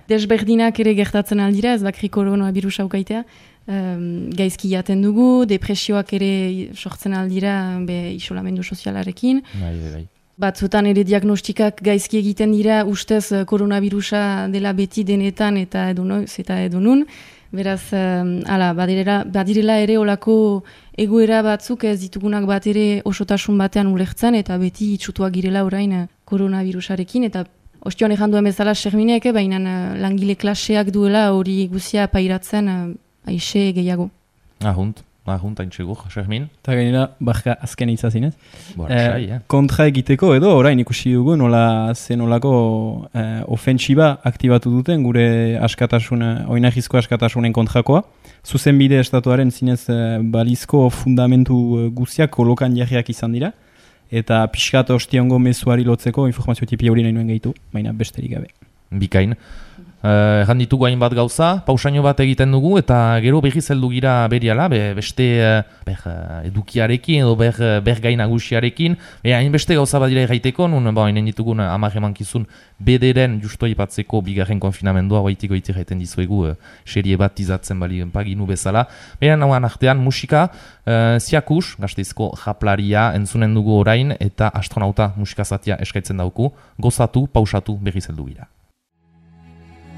desberdinak ere gertatzen aldira, ez bakri koronoa birusa ukaitea, gaizki jaten dugu, depresioak ere sortzen aldira isolamendu sozialarekin. Bai. Batzutan ere diagnostikak gaizki egiten dira ustez koronavirusa dela beti denetan eta edonun. Beraz, badirela ere olako egoera batzuk ez ditugunak bat ere osotasun batean ulertzen eta beti itxutuak girela orain koronavirusarekin eta ostion ejan duen bezala Xerminek, baina langile klaseak duela hori guzia pairatzen aixe gehiago. Ahunt, haintxegur, Xermin. Eta gainera, barka azken itzazinez. Kontra egiteko edo, orain ikusi dugu nolako ofentsiba aktibatu duten gure oinahizko askatasunen kontrakoa. Zuzenbide estatuaren zinez balizko fundamentu guziak kolokan jarriak izan dira. Eta pixkat ostiongo mezuari lotzeko informazio tipi hori nahi nuen gehitu, baina besterik gabe. Bikain. Erran ditugu hainbat gauza, pausaino bat egiten dugu, eta gero berri zeldu gira beriala, beste edukiarekin edo gai nagusiarekin, hainbeste gauza bat dira erraiteko, nun hainen ditugun hamar emankizun bederen justu aipatzeko bigarren konfinamendua, baitiko iti jaiten dizuegu serie bat izatzen paginu bezala. Beran hauan artean musika, Ziakus, Gasteizko japlaria entzunen dugu orain, eta astronauta musikazatia eskaitzen dauku, gozatu, pausatu berri zeldu gira.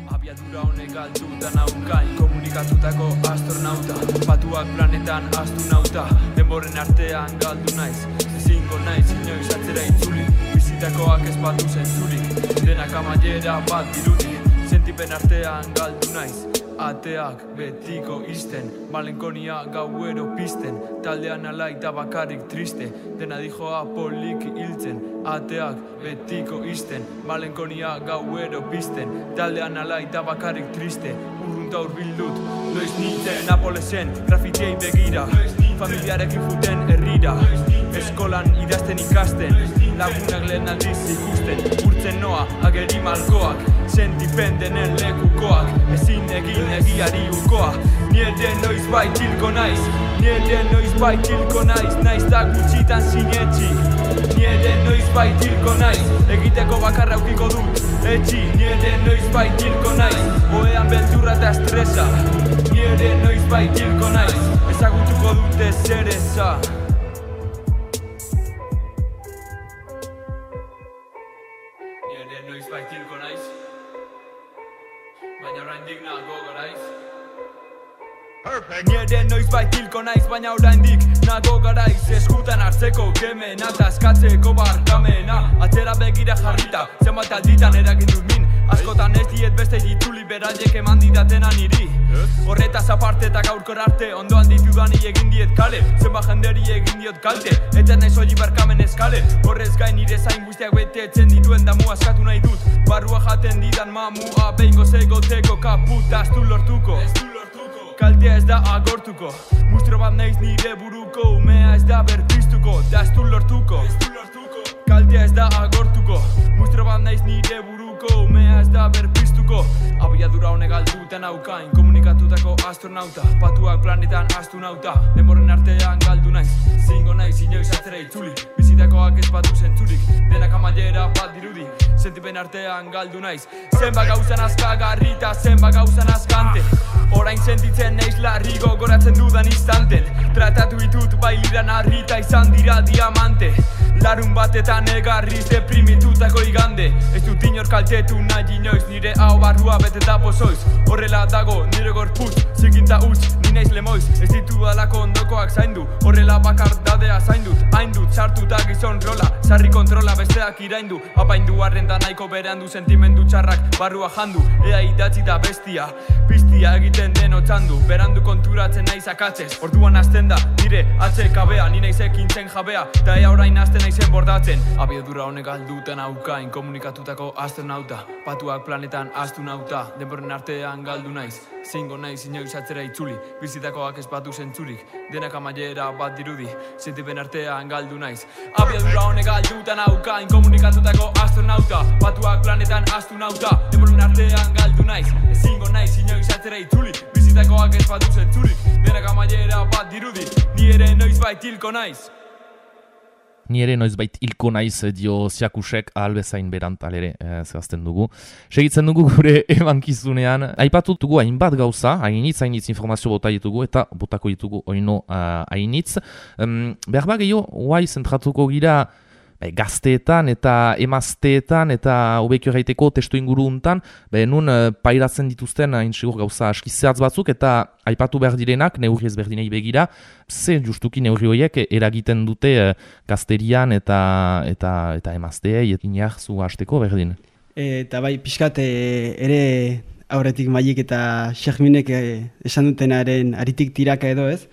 Abiadura honek galduta naukain, komunikatutako astronauta, batuak planetan astronauta, denboren artean galdu naiz, ezingo naiz inoiz atzera itzuli, bizitakoak ez badu zentzurik, denak amaiera bat dirudi, sentipen artean galdu naiz, ateak betiko izten, malenkonia gauero pizten, taldean alaita bakarrik triste, dena dijoa poliki hiltzen, ateak betiko izten, malenkonia gauero pizten, taldean alaita bakarrik triste, urrunta urbildut, noiz nintzen Napolesen, grafitiei begira, familiarekin juten herrira, eskolan idazten ikasten, lagunak lehen aldiz ikusten, urtzen noa, ageri malkoak, sentipen denen lekukoak, ezin egin egiari ukoa, nire noiz baitilko naiz, naiz da gutxitan sinetxi, nire noiz baitilko naiz, egiteko bakarra aukiko dut, etxi, nire noiz baitilko naiz, oean beldurra eta estresa, nire noizbait hilko naiz, ezagutuko dute zer eza. Ni ere noizbait hilko naiz, baina oraindik nago garaiz. Ni ere noizbait hilko naiz, baina oraindik nago garaiz. Eskutan hartzeko kemena, eta eskatzeko barkamena. Atzera begira jarrita, zenbat alditan eragin dut min. Askotan ez diet beste dituli beraiek eman didatena niri. Horretaz aparte eta gaurkor arte, ondoan ditudani egin diet kale. Zenbat jenderi egin diot kalte, eta nahi soili barkamen eskale. Horrez gain nire zain guztiak betetzen dituen damu askatu nahi dut. Barrua jaten didan mamua, behingo zegoteko kaputa ez du lortuko. Kaltea ez da agortuko, mustro bat naiz nire buruko, umea ez da berpiztuko, da ez du lortuko. Kaltea ez da agortuko, mustro bat naiz nire buruko, umea ez da berpiztuko. Abiadura honek galduten haukain, komunikatutako astronauta, patuak planetan astronauta, denborren artean galdu naiz, zingo naiz inoiz atzera itzuli, bizitakoak ez badu zentzurik, denak amailera bat dirudi, sentipen artean galdu naiz. Zenbat gauzan azkagarri eta zenbat gauzan azkante, orain sentitzen naiz larri gogoratzen dudan instanten. Tratatu ditut bailiran harrita izan dira diamante, larun batetan egarriz deprimitutako igande. Ez dut inor kaltetu nahi inoiz, nire hau barrua beteta pozoiz. Horrela dago nire gorputz, zikinta utz, ni naiz lemoiz. Ez ditu alako ondokoak zaindu, horrela bakardadea zaindut. Haindut sartu da gizon rola, sarri kontrola besteak iraindu. Apaindu arrenda nahiko berandu, sentimendu txarrak barrua jandu. Ea idatzi da bestia, piztia egiten den otzandu. Berandu konturatzen naiz akatzez, orduan hasten da nire atzekabea. Ni naiz ekintzen jabea, eta ea orain hasten naizen bordatzen. Abiadura honek galduten haukain, komunikatutako astronauta, patuak planetan astronauta, denborren artean galdu naiz, zingo naiz inoiz atzera itzuli, bizitakoak ez batu zentzurik, denak amailera bat dirudi, sentipen artean galdu naiz. Abiadura honek galduten haukain, komunikatutako astronauta, patuak planetan astronauta, denborren artean galdu naiz, zingo naiz inoiz atzera itzuli, bizitakoak ez batu zentzurik, denak amailera bat dirudi, ni ere noizbait hilko naiz. Ni ere noizbait hilko naiz dio Siakusek ahalbezain berant alere zehazten dugu. Segitzen dugu gure emankizunean. Aipatu dugu hainbat gauza, hainitz informazio bota ditugu eta botako ditugu oino hainitz. Behar gehiago, guai zentratuko gira gazteetan eta emazteetan eta hobekio gaiteko testu inguru untan, nun pairatzen dituzten haintzigur gauza aski zehatz batzuk eta aipatu behar direnak, neurri ezberdinei begira, ze justuki neurri horiek eragiten dute gazterian eta emazteei, inar zu hasteko berdin. Eta bai, pixkat ere aurretik Maiek eta Xerminek esan dutenaren aritik tiraka edo ez,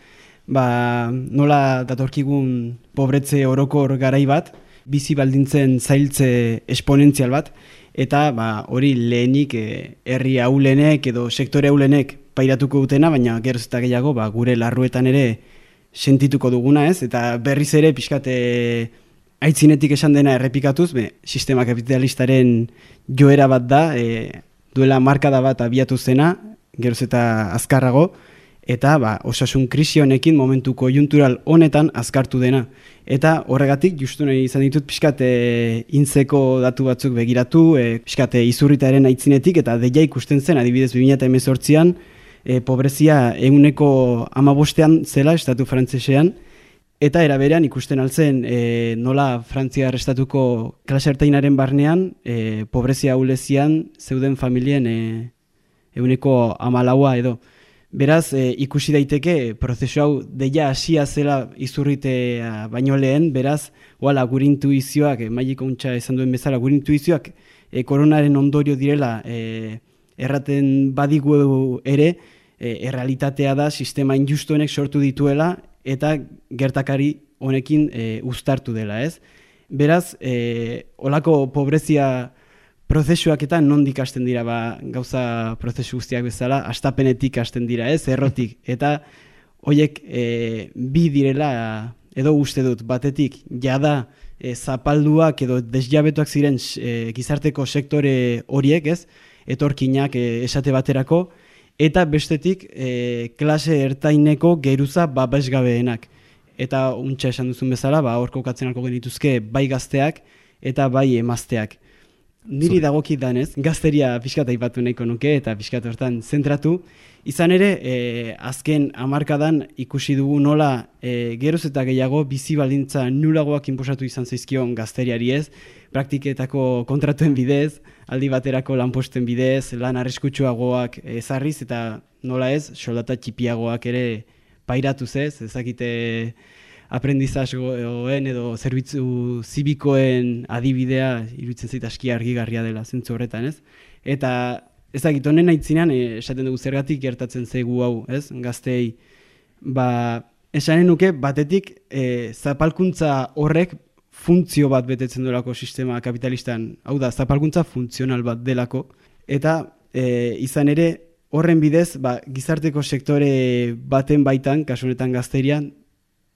nola datorkigun pobretze orokor garai bat, bizi baldintzen zailtze esponentzial bat, eta hori lehenik herri ahulenek edo sektore ahulenek pairatuko dutena, baina geroz eta gehiago gure larruetan ere sentituko duguna ez, eta berriz ere pixkat aitzinetik esan dena errepikatuz, sistema kapitalistaren joera bat da, duela markada bat abiatu zena, geroz eta azkarrago, eta osasun krisi honekin momentu konjuntural honetan azkartu dena. Eta horregatik, justu nahi izan ditut pixkat intzeko datu batzuk begiratu, pixkat izurritaren aitzinetik, eta deia ikusten zen, adibidez 2018an, pobrezia 15% zela estatu frantsesean, eta eraberean ikusten altzen nola Frantziar estatuko klase ertainaren barnean, pobrezia ahulezian zeuden familien 14% edo. Beraz, ikusi daiteke prozesu hau deia hasia zela izurritea baino lehen, beraz, gure intuizioak, Maiek ontsa esan duen bezala, gure intuizioak koronaren ondorio direla erraten badigu ere, errealitatea da sistema injustuenek sortu dituela eta gertakari honekin uztartu dela, ez? Beraz, olako pobrezia prozesuak eta nondik hasten dira, gauza prozesu guztiak bezala, hastapenetik hasten dira, ez, errotik. Eta horiek bi direla, edo uste dut, batetik, jada zapalduak edo desjabetuak ziren gizarteko sektore horiek, ez, etorkinak esate baterako, eta bestetik klase ertaineko geruza babesgabeenak. Eta untxa esan duzun bezala, hor kokatzen alko genituzke bai gazteak eta bai emazteak. Niri dagokit danez, gazteria pixkat aipatu nahiko nuke eta pixkat hortan zentratu. Izan ere, azken hamarkadan ikusi dugu nola geroz eta gehiago bizi baldintza nulagoak inposatu izan zaizkion gazteriari ez, praktiketako kontratuen bidez, aldi baterako lanposten bidez, lan arriskutsuagoak ezarriz eta nola ez, soldata txipiagoak ere pairatuz ez, ezakite aprendizazioen edo zerbitzu zibikoen adibidea iruditzen zait aski argigarria dela zentzu horretan, ez? Eta ezagit honen aitzinean esaten dugu zergatik gertatzen zaigu hau, ez? Gazteei esanen nuke batetik zapalkuntza horrek funtzio bat betetzen delako sistema kapitalistan, hau da zapalkuntza funtzional bat delako eta izan ere horren bidez gizarteko sektore baten baitan, kasu honetan gazterian,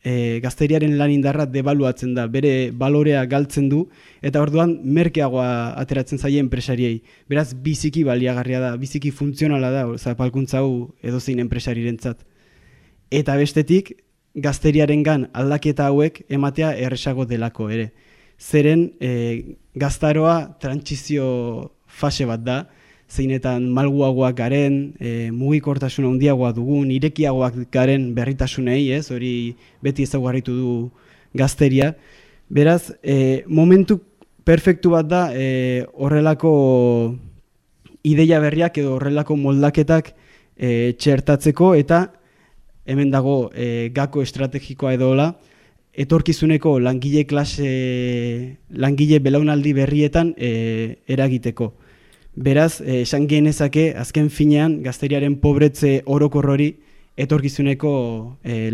gazteriaren lan indarra debaluatzen da, bere balorea galtzen du, eta orduan merkeagoa ateratzen zaie enpresariei. Beraz, biziki baliagarria da, biziki funtzionala da, zapalkuntza hau edozein enpresarirentzat. Eta bestetik, gazteriarengan aldaketa hauek ematea erresago delako ere. Zeren, gaztaroa trantsizio fase bat da, zeinetan malguagoak garen, mugikortasuna handiagoa dugun, irekiagoak garen berritasunei, ez? Hori beti ezaugarritu du gazteria. Beraz, momentu perfektu bat da horrelako ideia berriak edo horrelako moldaketak txertatzeko eta hemen dago gako estrategikoa edola, etorkizuneko langile belaunaldi berrietan eragiteko. Beraz, esan genezake, azken finean, gazteriaren pobretze orokor hori etorkizuneko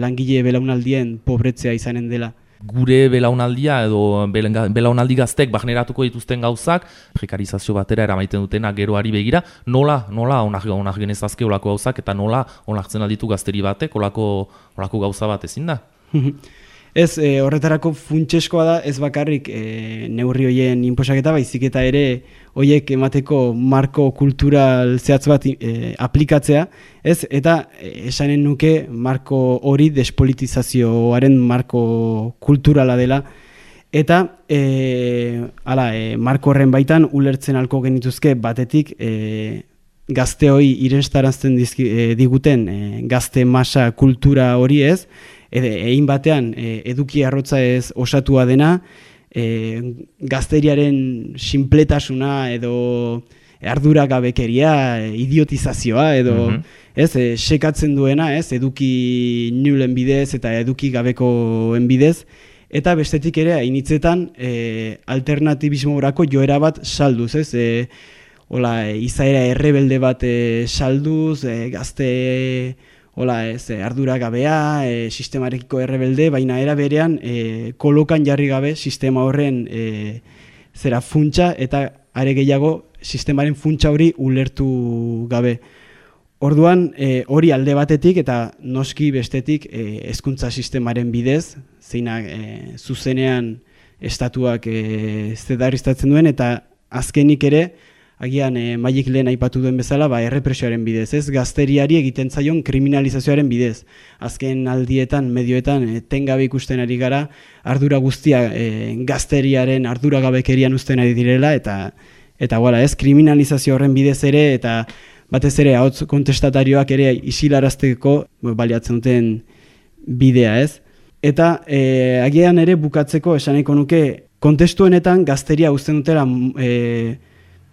langile belaunaldien pobretzea izanen dela. Gure belaunaldia edo belaunaldi gaztek generatuko dituzten gauzak, prekarizazio batera eramaiten dutena geroari begira, nola onak genezazke olako gauzak eta nola onartzen alditu gazteri batek olako gauza bat ezin da? Ez, horretarako funtseskoa da, ez bakarrik neurri hoien inposaketa, baizik eta ere hoiek emateko marko kultural zehatz bat aplikatzea, ez, eta esanen nuke marko hori despolitizazioaren marko kulturala dela, eta marko horren baitan ulertzen alko genituzke batetik gazteoi irestarazten diguten gazte masa kultura hori ez, egin batean eduki arrotza ez osatua dena, gazteriaren sinpletasuna edo arduragabekeria, idiotizazioa edo sekatzen duena, eduki nulen bidez eta eduki gabekoen bidez, eta bestetik ere hainitzetan alternatibismo horako joera bat salduz, izaera errebelde bat salduz, gazte arduragabea, sistemarekiko errebelde, baina era berean kolokan jarri gabe sistema horren zera funtsa eta are gehiago sistemaren funtsa hori ulertu gabe. Orduan hori alde batetik eta noski bestetik hezkuntza sistemaren bidez, zeinak zuzenean estatuak zedarriztatzen duen eta azkenik ere agian Maiek lehen aipatu duen bezala, errepresioaren bidez, ez? Gazteriari egiten zaion kriminalizazioaren bidez. Azken aldietan, medioetan, tengabe ikusten ari gara, ardura guztia gazteriaren arduragabekerian uzten ari direla, eta ez, kriminalizazio horren bidez ere, eta batez ere, ahots kontestatarioak ere isilarazteko baliatzen duten bidea, ez? Eta agian ere bukatzeko esaneko nuke, kontestuenetan gazteria uzten dutela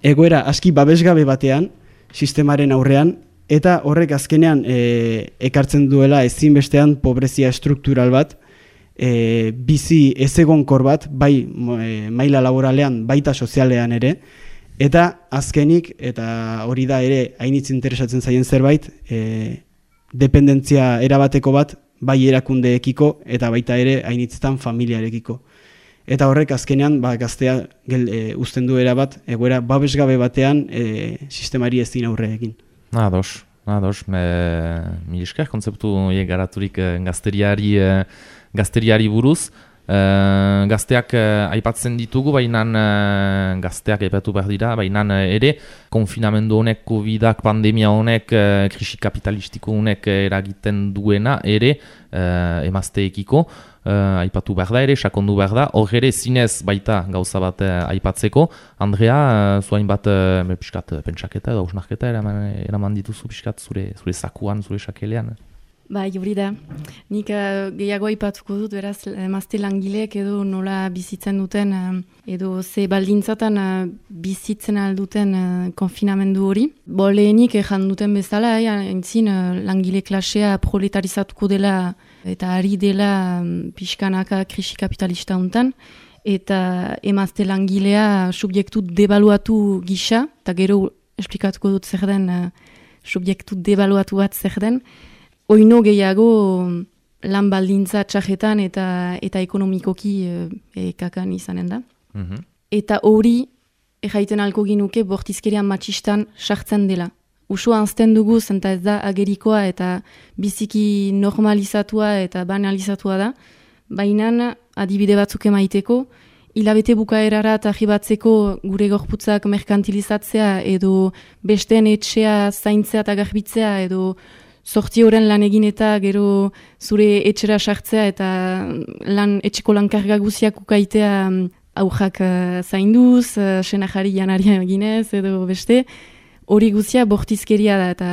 egoera aski babesgabe batean, sistemaren aurrean, eta horrek azkenean ekartzen duela ezinbestean pobrezia struktural bat, bizi ezegonkor bat, bai maila laboralean, baita sozialean ere, eta azkenik, eta hori da ere hainitz interesatzen zaien zerbait, dependentzia erabateko bat, bai erakundeekiko, eta baita ere hainitzetan familiarekiko. Eta horrek azkenean gaztea uzten du erabat, egoera babesgabe batean sistemari ezin aurre egin. Ados. Mil esker kontzeptu garaturik gazteriari buruz. Gazteak aipatzen ditugu, baina gazteak aipatu behar dira, baina ere konfinamendu honek, Covidak, pandemia honek, krisi kapitalistiko honek eragiten duena ere emazteekiko aipatu behar da ere, sakondu behar da, hor ere zinez baita gauza bat aipatzeko. Andrea, zuain bat piskat pentsaketa edo ausnarketa eraman dituzu piskat zure zakuan, zure sakelean? Bai, hori da. Nik gehiago aipatuko dut, beraz, emazte langileek edo nola bizitzen duten, edo ze baldintzatan bizitzen alduten konfinamendu hori. Lehenik ejan duten bezala, entzin langile klasea proletarizatuko dela eta ari dela pixkanaka krisi kapitalista hontan, eta emazte langilea subjektu debaluatu gisa, eta gero esplikatuko dut zer den subjektu debaluatu bat zer den, oino gehiago lan baldintza txajetan eta ekonomikoki kakan izanen da. Eta hori, erraiten alko ginuke bortizkeria matxistan sartzen dela. Usua anzten dugu, zenta ez da agerikoa eta biziki normalizatua eta banalizatua da. Baina, adibide batzuk emaiteko, hilabete bukaerara eta jibatzeko gure gorputzak merkantilizatzea edo besteen etxea zaintzea eta garbitzea edo 8 horen lan egin eta gero zure etxera sartzea eta etxeko lankarga guziak ukaitea aujak zainduz, senajari janaria eginez edo beste, hori guzia bortizkeria da eta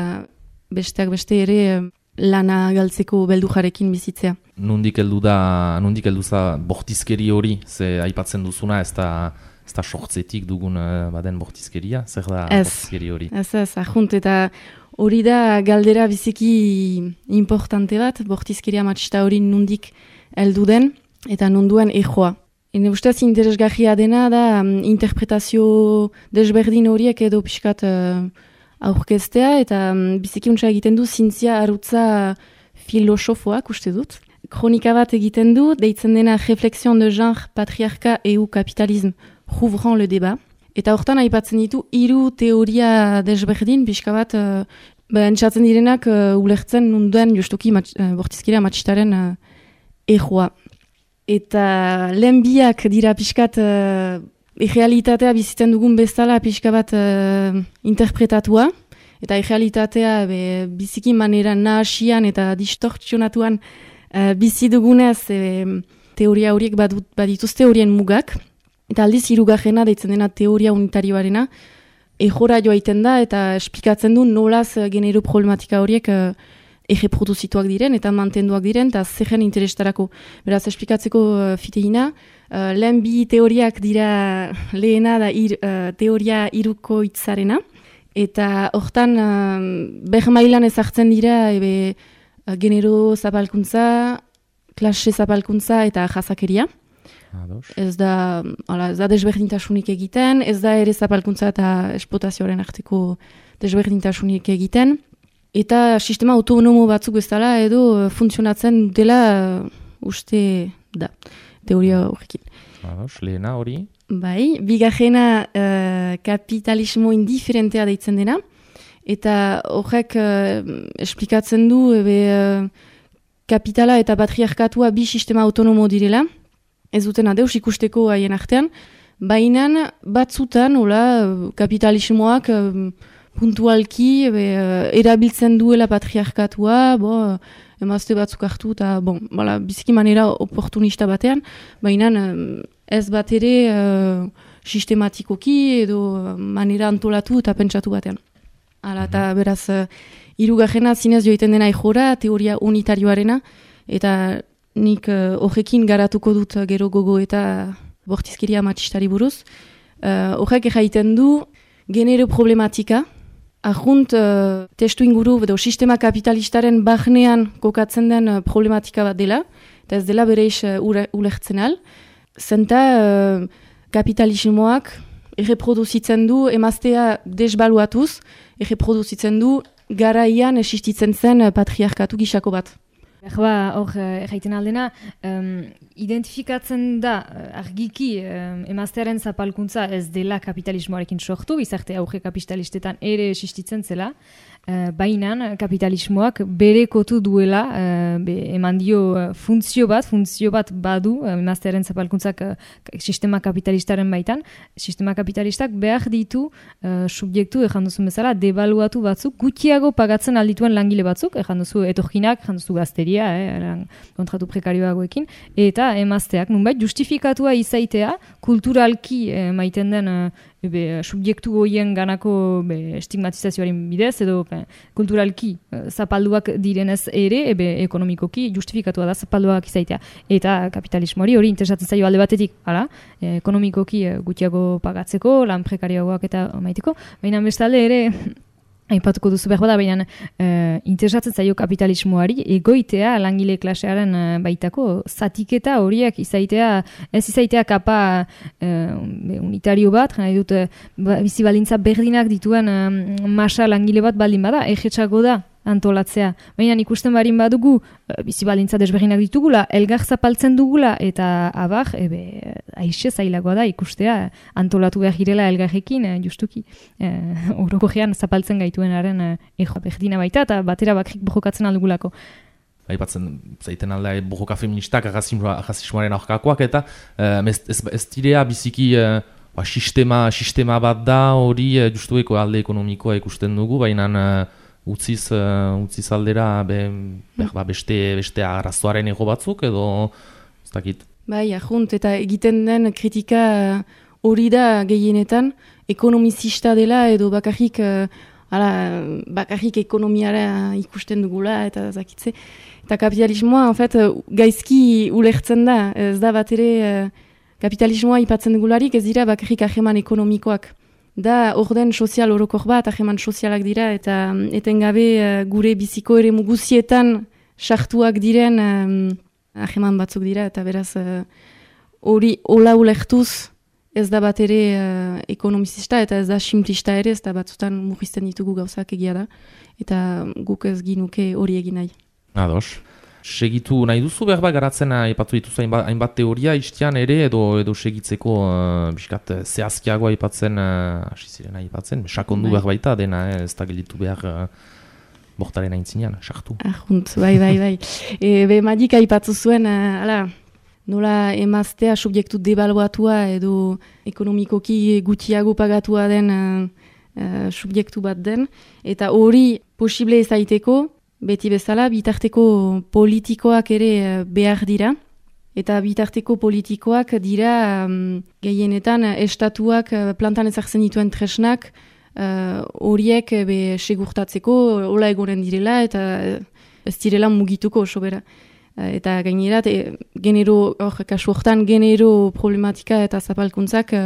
besteak beste ere lana galtzeko beldujarekin bizitzea. Nundik heldu za bortizkeri hori, ze aipatzen duzuna, ez da sortzetik dugun baden bortizkeria, zer da bortizkeri hori? Ez, ahunt, eta hori da galdera biziki importante bat, bortizkeria matxista hori nundik heldu den, eta nunduen ejoa. Ene ustez interesgarria dena da interpretazio desberdin horiek edo pixkat aurkeztea, eta biziki untsa egiten du zintzia arutza filosofoak uste dut. Kronika bat egiten du, deitzen dena Réflexion de genre, patriarka EU kapitalisme, rouvrant le débat. Eta hortan aipatzen ditu 3 teoria desberdin, pixka bat, entzatzen direnak ulertzen nunduen justuki bortizkeria matxistaren ejoa. Eta lehen biak dira pixkat errealitatea bizitzen dugun bezala pixka bat interpretatua, eta errealitatea biziki manera nahasian eta distortzionatuan bizi dugunez teoria horiek badituzte horien mugak. Eta aldiz hirugarrena deitzen dena teoria unitarioarena ejora joaiten da eta esplikatzen du nolaz genero problematika horiek erreproduzituak diren eta mantenduak diren eta zerren interestarako. Beraz, esplikatzeko fiteina, lehen bi teoriak dira lehena da teoria hirukoitzarena eta hortan bermailan ezartzen dira genero zapalkuntza, klase zapalkuntza eta jasakeria. Ez da desberdintasunik egiten, ez da ere zapalkuntza eta esplotazioaren arteko desberdintasunik egiten, eta sistema autonomo batzuk ez dela edo funtzionatzen dela uste da, teoria horrekin. Lehena hori? Bai, bigarrena kapitalismo indiferentea deitzen dena, eta horrek esplikatzen du kapitala eta patriarkatua bi sistema autonomo direla, ez duten adeus ikusteko haien artean, baina batzutan kapitalismoak puntualki erabiltzen duela patriarkatua, emazte batzuk hartu eta biziki manera oportunista batean, baina ez bat ere sistematikoki edo manera antolatu eta pentsatu batean. Eta beraz, hirugarrena zinez joiten dena ejora, teoria unitarioarena, eta nik horrekin garatuko dut gero gogo eta bortizkeria matxistari buruz. Horrek erraiten du genero problematika, ahunt testu inguru edo sistema kapitalistaren barnean kokatzen den problematika bat dela, eta ez dela bereiz ulertzen al. Zenta kapitalismoak erreproduzitzen du emaztea desbaluatuz, erreproduzitzen du garaian existitzen zen patriarkatu gisako bat. Hor erraiten aldena, identifikatzen da argiki emaztearen zapalkuntza ez dela kapitalismoarekin sortu, bizarte auge kapitalistetan ere existitzen zela, bainan kapitalismoak berekotu duela, eman dio funtzio bat badu, emaztearen zapalkuntzak sistema kapitalistaren baitan, sistema kapitalistak behar ditu subjektu, ejan duzu bezala, debaluatu batzuk, gutxiago pagatzen aldituen langile batzuk, ejan duzu etorginak, ejan duzu gazteria, kontratu prekarioagoekin, eta emazteak, nunbait, justifikatua izaitea, kulturalki maiten den subjektu goien ganako estigmatizazioaren bidez, edo kulturalki zapalduak direnez ere, ekonomikoki justifikatua da zapalduak izaitea. Eta kapitalismoari hori interesatzen zaio alde batetik, ekonomikoki gutxiago pagatzeko, lan prekarioagoak eta maiteko, baina bestalde ere, aipatuko duzu behar bada, baina interesatzen zaio kapitalismoari egoitea langile klasearen baitako zatiketa horiek ez izaitea kapa unitario bat, nahi dut bizi baldintza berdinak dituen masa langile bat baldin bada, egetxago da antolatzea. Baina ikusten barin badugu bizi baldintza desberdinak ditugula, elgar zapaltzen dugula eta abar, aixe zailagoa da ikustea antolatu behar girela elgarrekin, justuki orokorrean zapaltzen gaituenaren berdina baita eta batera bakrik bojokatzen aldugulako. Aipatzen zaiten alda bojoka feministak arrazismoaren aurkakoak eta ez direa biziki sistema bat da hori justueko alde ekonomikoa ikusten dugu, baina utziz aldera beste arazoaren ego batzuk edo ez dakit. Bai, ahunt, eta egiten den kritika hori da gehienetan ekonomizista dela edo bakarrik ekonomiara ikusten dugula eta zakitze. Eta kapitalismoa, en fait, gaizki ulertzen da, ez da bat ere kapitalismoa ipatzen dugularik ez dira bakarrik aheman ekonomikoak. Da orden sozial orokor bat, aheman sozialak dira, eta etengabe gure biziko ere muguzietan sartuak diren aheman batzuk dira, eta beraz hori hola ulertuz ez da bat ere ekonomizista, eta ez da simplista ere, ez da batzutan mugizten ditugu gauzak egia da, eta guk ez ginuke hori egin nahi. Ados. Segitu nahi duzu behar bat garatzen aipatu dituzu hainbat teoria istian ere edo segitzeko biskat zehazkiagoa aipatzen hasi ziren aipatzen, sakondu behar baita dena ez da gelditu behar bortaren aintzinean, sartu. Ahunt, bai. Madik aipatu zuen, nola emaztea subjektu debaluatua edo ekonomikoki gutxiago pagatua den subjektu bat den, eta hori posible ezaiteko, beti bezala, bitarteko politikoak ere behar dira. Eta bitarteko politikoak dira gehienetan estatuak plantan ezartzen dituen tresnak horiek segurtatzeko hola egonen direla eta ez direla mugituko sobera. Eta gainera, kasu hortan genero problematika eta zapalkuntzak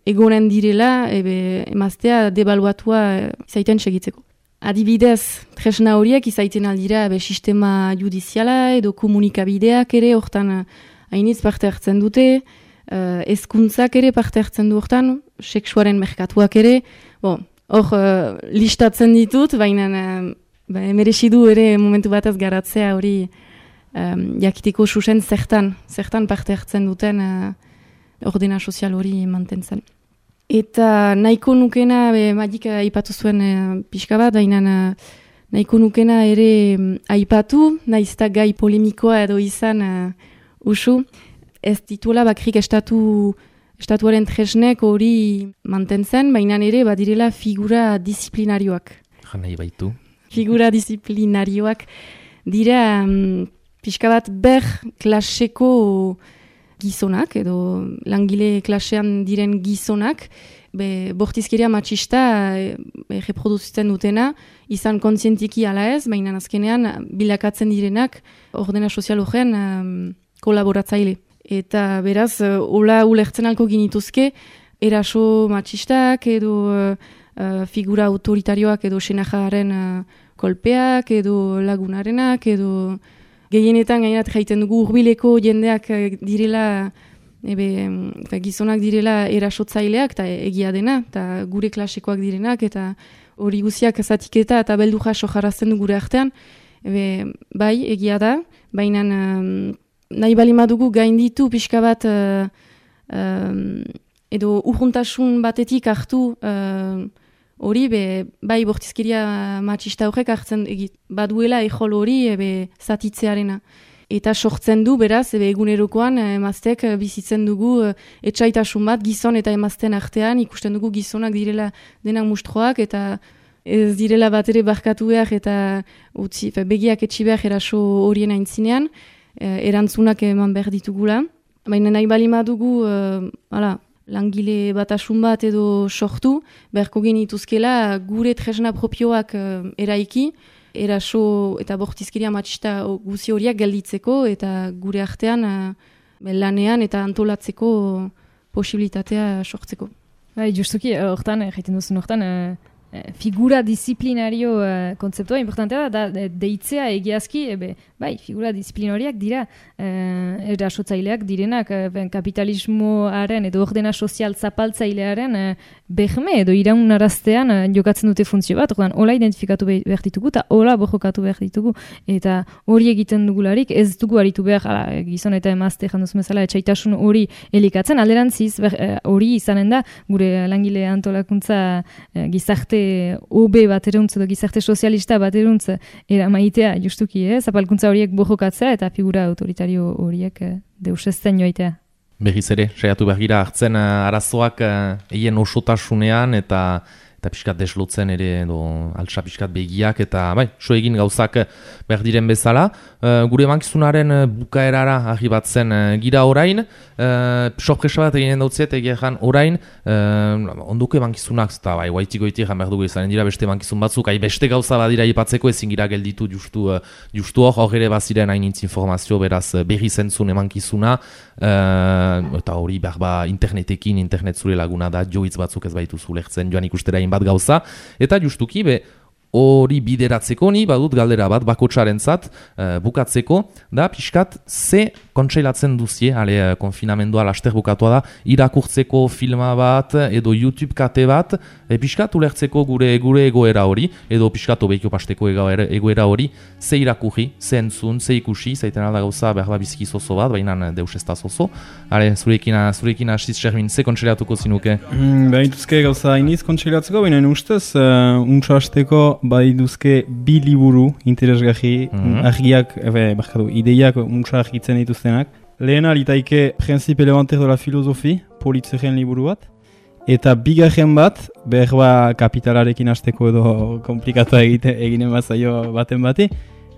egonen direla emaztea debaluatua izaiten segitzeko. Adibidez, tresna horiek izaiten aldira sistema judiziala edo komunikabideak ere hortan hainitz parte hartzen dute, hezkuntzak ere parte hartzen du hortan, sexuaren merkatuak ere, hor listatzen ditut, baina merezi du ere momentu batez garatzea hori jakiteko susen zertan parte hartzen duten ordena sozial hori mantentzen. Eta nahiko nukena, Madik aipatu zuen pixka bat, baina nahiko nukena ere aipatu, naizta gai polemikoa edo izan usu, ez dituela bakrik estatuaren tresnek hori mantentzen, baina ere badirela figura disiplinarioak. Nahi baitu. Figura disiplinarioak dira pixka bat klaseko gizonak, edo langile klasean diren gizonak, bortizkeria matxista reproduzitzen dutena, izan kontzientiki ala ez, baina azkenean bilakatzen direnak ordena sozial horren kolaboratzaile. Eta beraz, hola ulertzen alko ginituzke, eraso matxistak, edo figura autoritarioak, edo senajaren kolpeak, edo lagunarenak, edo gehienetan gainerat jaiten dugu hurbileko jendeak direla, gizonak direla erasotzaileak, eta egia dena, eta gure klasekoak direnak, eta hori guziak zatiketa eta beldu jaso jarrazten du gure artean, bai, egia da, baina nahi balimadugu gainditu pixka bat, edo urruntasun batetik hartu hori, bai bortizkeria matxista horrek hartzen baduela ejol hori zatitzearena. Eta sortzen du, beraz, egunerokoan emazteek bizitzen dugu etxaitasun bat gizon eta emazten artean, ikusten dugu gizonak direla denak mustroak, eta ez direla bat ere barkatu behar, eta begiak etxi behar eraso horien aintzinean, erantzunak eman behar ditugula. Baina nahi bali madugu, langile batasun bat edo sortu, beharko genituzkela gure tresna propioak eraiki, eraso eta bortizkeria matxista guzi horiak gelditzeko eta gure artean lanean eta antolatzeko posibilitatea sortzeko. Bai, justuki, hortan, jaiten duzun hortan, figura disiplinario kontzeptua importantea da deitzea egiazki, bai, figura disiplinariak dira erasotzaileak direnak kapitalismoaren edo ordena sozial zapaltzailearen behme edo iraunaraztean jokatzen dute funtzio bat, ordan hola identifikatu behar ditugu eta hola borrokatu behar ditugu eta hori egiten dugularik ez dugu aritu behar gizon eta emazte janduzun bezala etxaitasun hori elikatzen, alderantziz hori izanen da gure langile antolakuntza gizarte OB bateruntz edo gizarte sozialista bateruntz maitea justuki, zapalkuntza horiek borrokatzea eta figura autoritario horiek deusezten joaitea. Berriz ere, saiatu behar gira hartzen arazoak eien osotasunean eta pixkat deslotzen ere edo altsa pixkat begiak eta bai, so egin gauzak behar diren bezala. Gure emankizunaren bukaerara arribatzen gira orain, sorpresa bat eginen dautziet egeran orain, onduko emankizunak, eta bai, guaitiko-iti egan behar dugu izanen dira beste emankizun batzuk, beste gauza badira ipatzeko ezin gira gelditu justu hor ere baziren hainitz informazio, beraz berri zentzun emankizuna, eta hori behar internetekin, internet zure laguna da, joitz batzuk ez baitu zulertzen joan ikustera bat gauza, eta justuki hori bideratzeko ni badut galdera bat bakotsarentzat bukatzeko da pixkat ze kontseilatzen duzie, konfinamendua laster bukatua da, irakurtzeko filma bat edo YouTube kate bat pixkat ulertzeko gure egoera hori edo pixkat obeikio pasteko egoera hori ze irakurri, ze entzun, ze ikusi, zaiten alda gauza behar bizki zozo bat, baina deus ez da zozo. Zurekin hasiz Shermin, ze kontseilatuko zinuke? Baituzke gauza hainiz kontseilatzeko, baina ustez untso hasteko badituzke bi liburu interesgarri, argiak, ideiak untso argitzen dituztenak. Lehena litaike Principe Elementaire de la Philosophie, Politzeren liburu bat. Eta bigarren bat, behar kapitalarekin hasteko edo komplikatu eginen bazaio baten bati,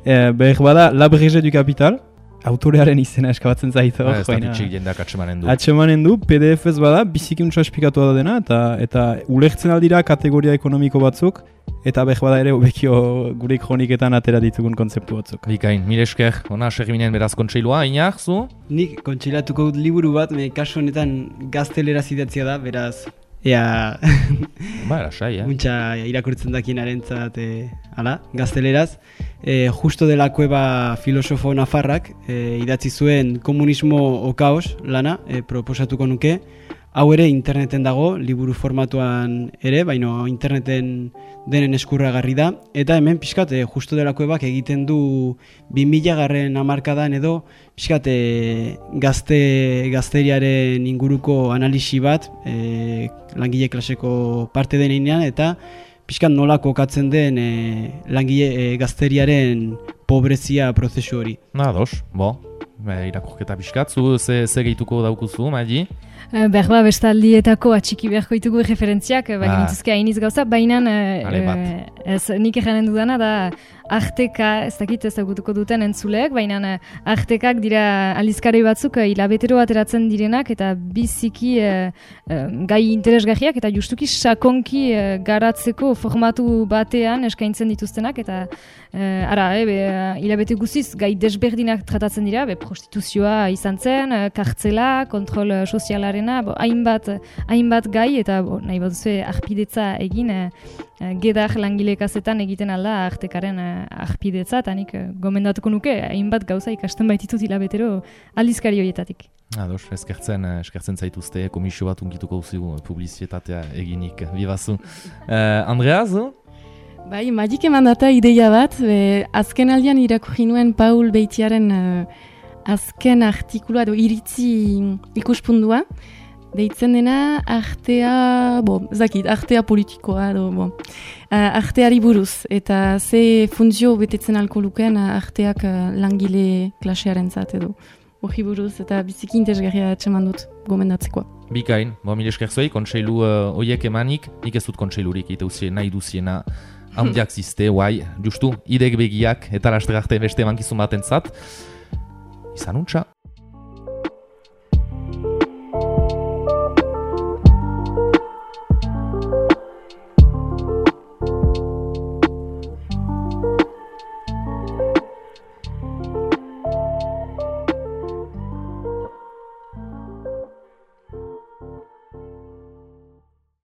behar bada La Brèche du Capital, autorearen izena eskabatzen zaitu. Ez da pitxik jendeak atxemanen du. Atxemanen du, PDF ez bada, biziki untsa esplikatu da dena, eta ulertzen aldira kategoria ekonomiko batzuk, eta behar bada ere obekio gure kroniketan atera ditugun kontzeptu batzuk. Bikain, mire esker, ona Sherminen beraz kontseilua, Iñak, zu? Nik kontseilatuko dut liburu bat, kasu honetan gazteleraz idatzia da, beraz, lasai, muntxa irakurtzen dakienaren gazteleraz. Justo de la Cueva filosofo nafarrak idatzi zuen Komunismo o Kaos lana proposatuko nuke. Hau ere interneten dago, liburu formatuan ere, baina interneten denen eskurragarri da. Eta hemen pixkat Justo de la Cuevak egiten du 2000 hamarkadan edo pixkat gazteriaren inguruko analisi bat langile klaseko parte denean eta pixkat nola kokatzen den langile gazteriaren pobrezia prozesu hori. Ados, irakurketa pixkat, zu ze gehituko daukuzu, Maili? Berba bestaldietako atxiki beharko ditugu referentziak, genituzke hainiz gauza, baina nik eganen dudana da arteka, ez dakit ezagutuko duten entzuleek, baina artekak dira aldizkari batzuk hilabetero ateratzen direnak eta biziki gai interesgarriak eta justuki sakonki garatzeko formatu batean eskaintzen dituztenak eta hilabete guziz gai desberdinak tratatzen dira, prostituzioa izan zen, kartzela, kontrol sozialarena, hainbat gai eta nahi baduzue arpidetza egin gedar langile kazetan egiten alda artekaren arpidetza eta nik gomendatuko nuke hainbat gauza ikasten baititut hilabetero aldizkari horietatik. Ados, eskertzen zaituzte, komisio bat unkituko duzu publizitatea eginik, bibazu. Andrea, zu? Bai, magik eman data ideia bat, azken aldian irakurri nuen Paul Beitiaren azken artikulua edo iritzi ikuspundua, deitzen dena artea, artea politikoa, arteari buruz, eta ze funtzio betetzen alko lukeen arteak langile klasearen zat edo. Hori buruz eta biziki interesgarria etxeman dut gomendatzekoa. Bikain, mil esker zuei, kontseilu oiek emanik, nik ez dut kontseilurik iteuzien nahi duziena handiak ziste, justu, idek begiak eta lasterarte beste emankizun baten zat. Izan untxa.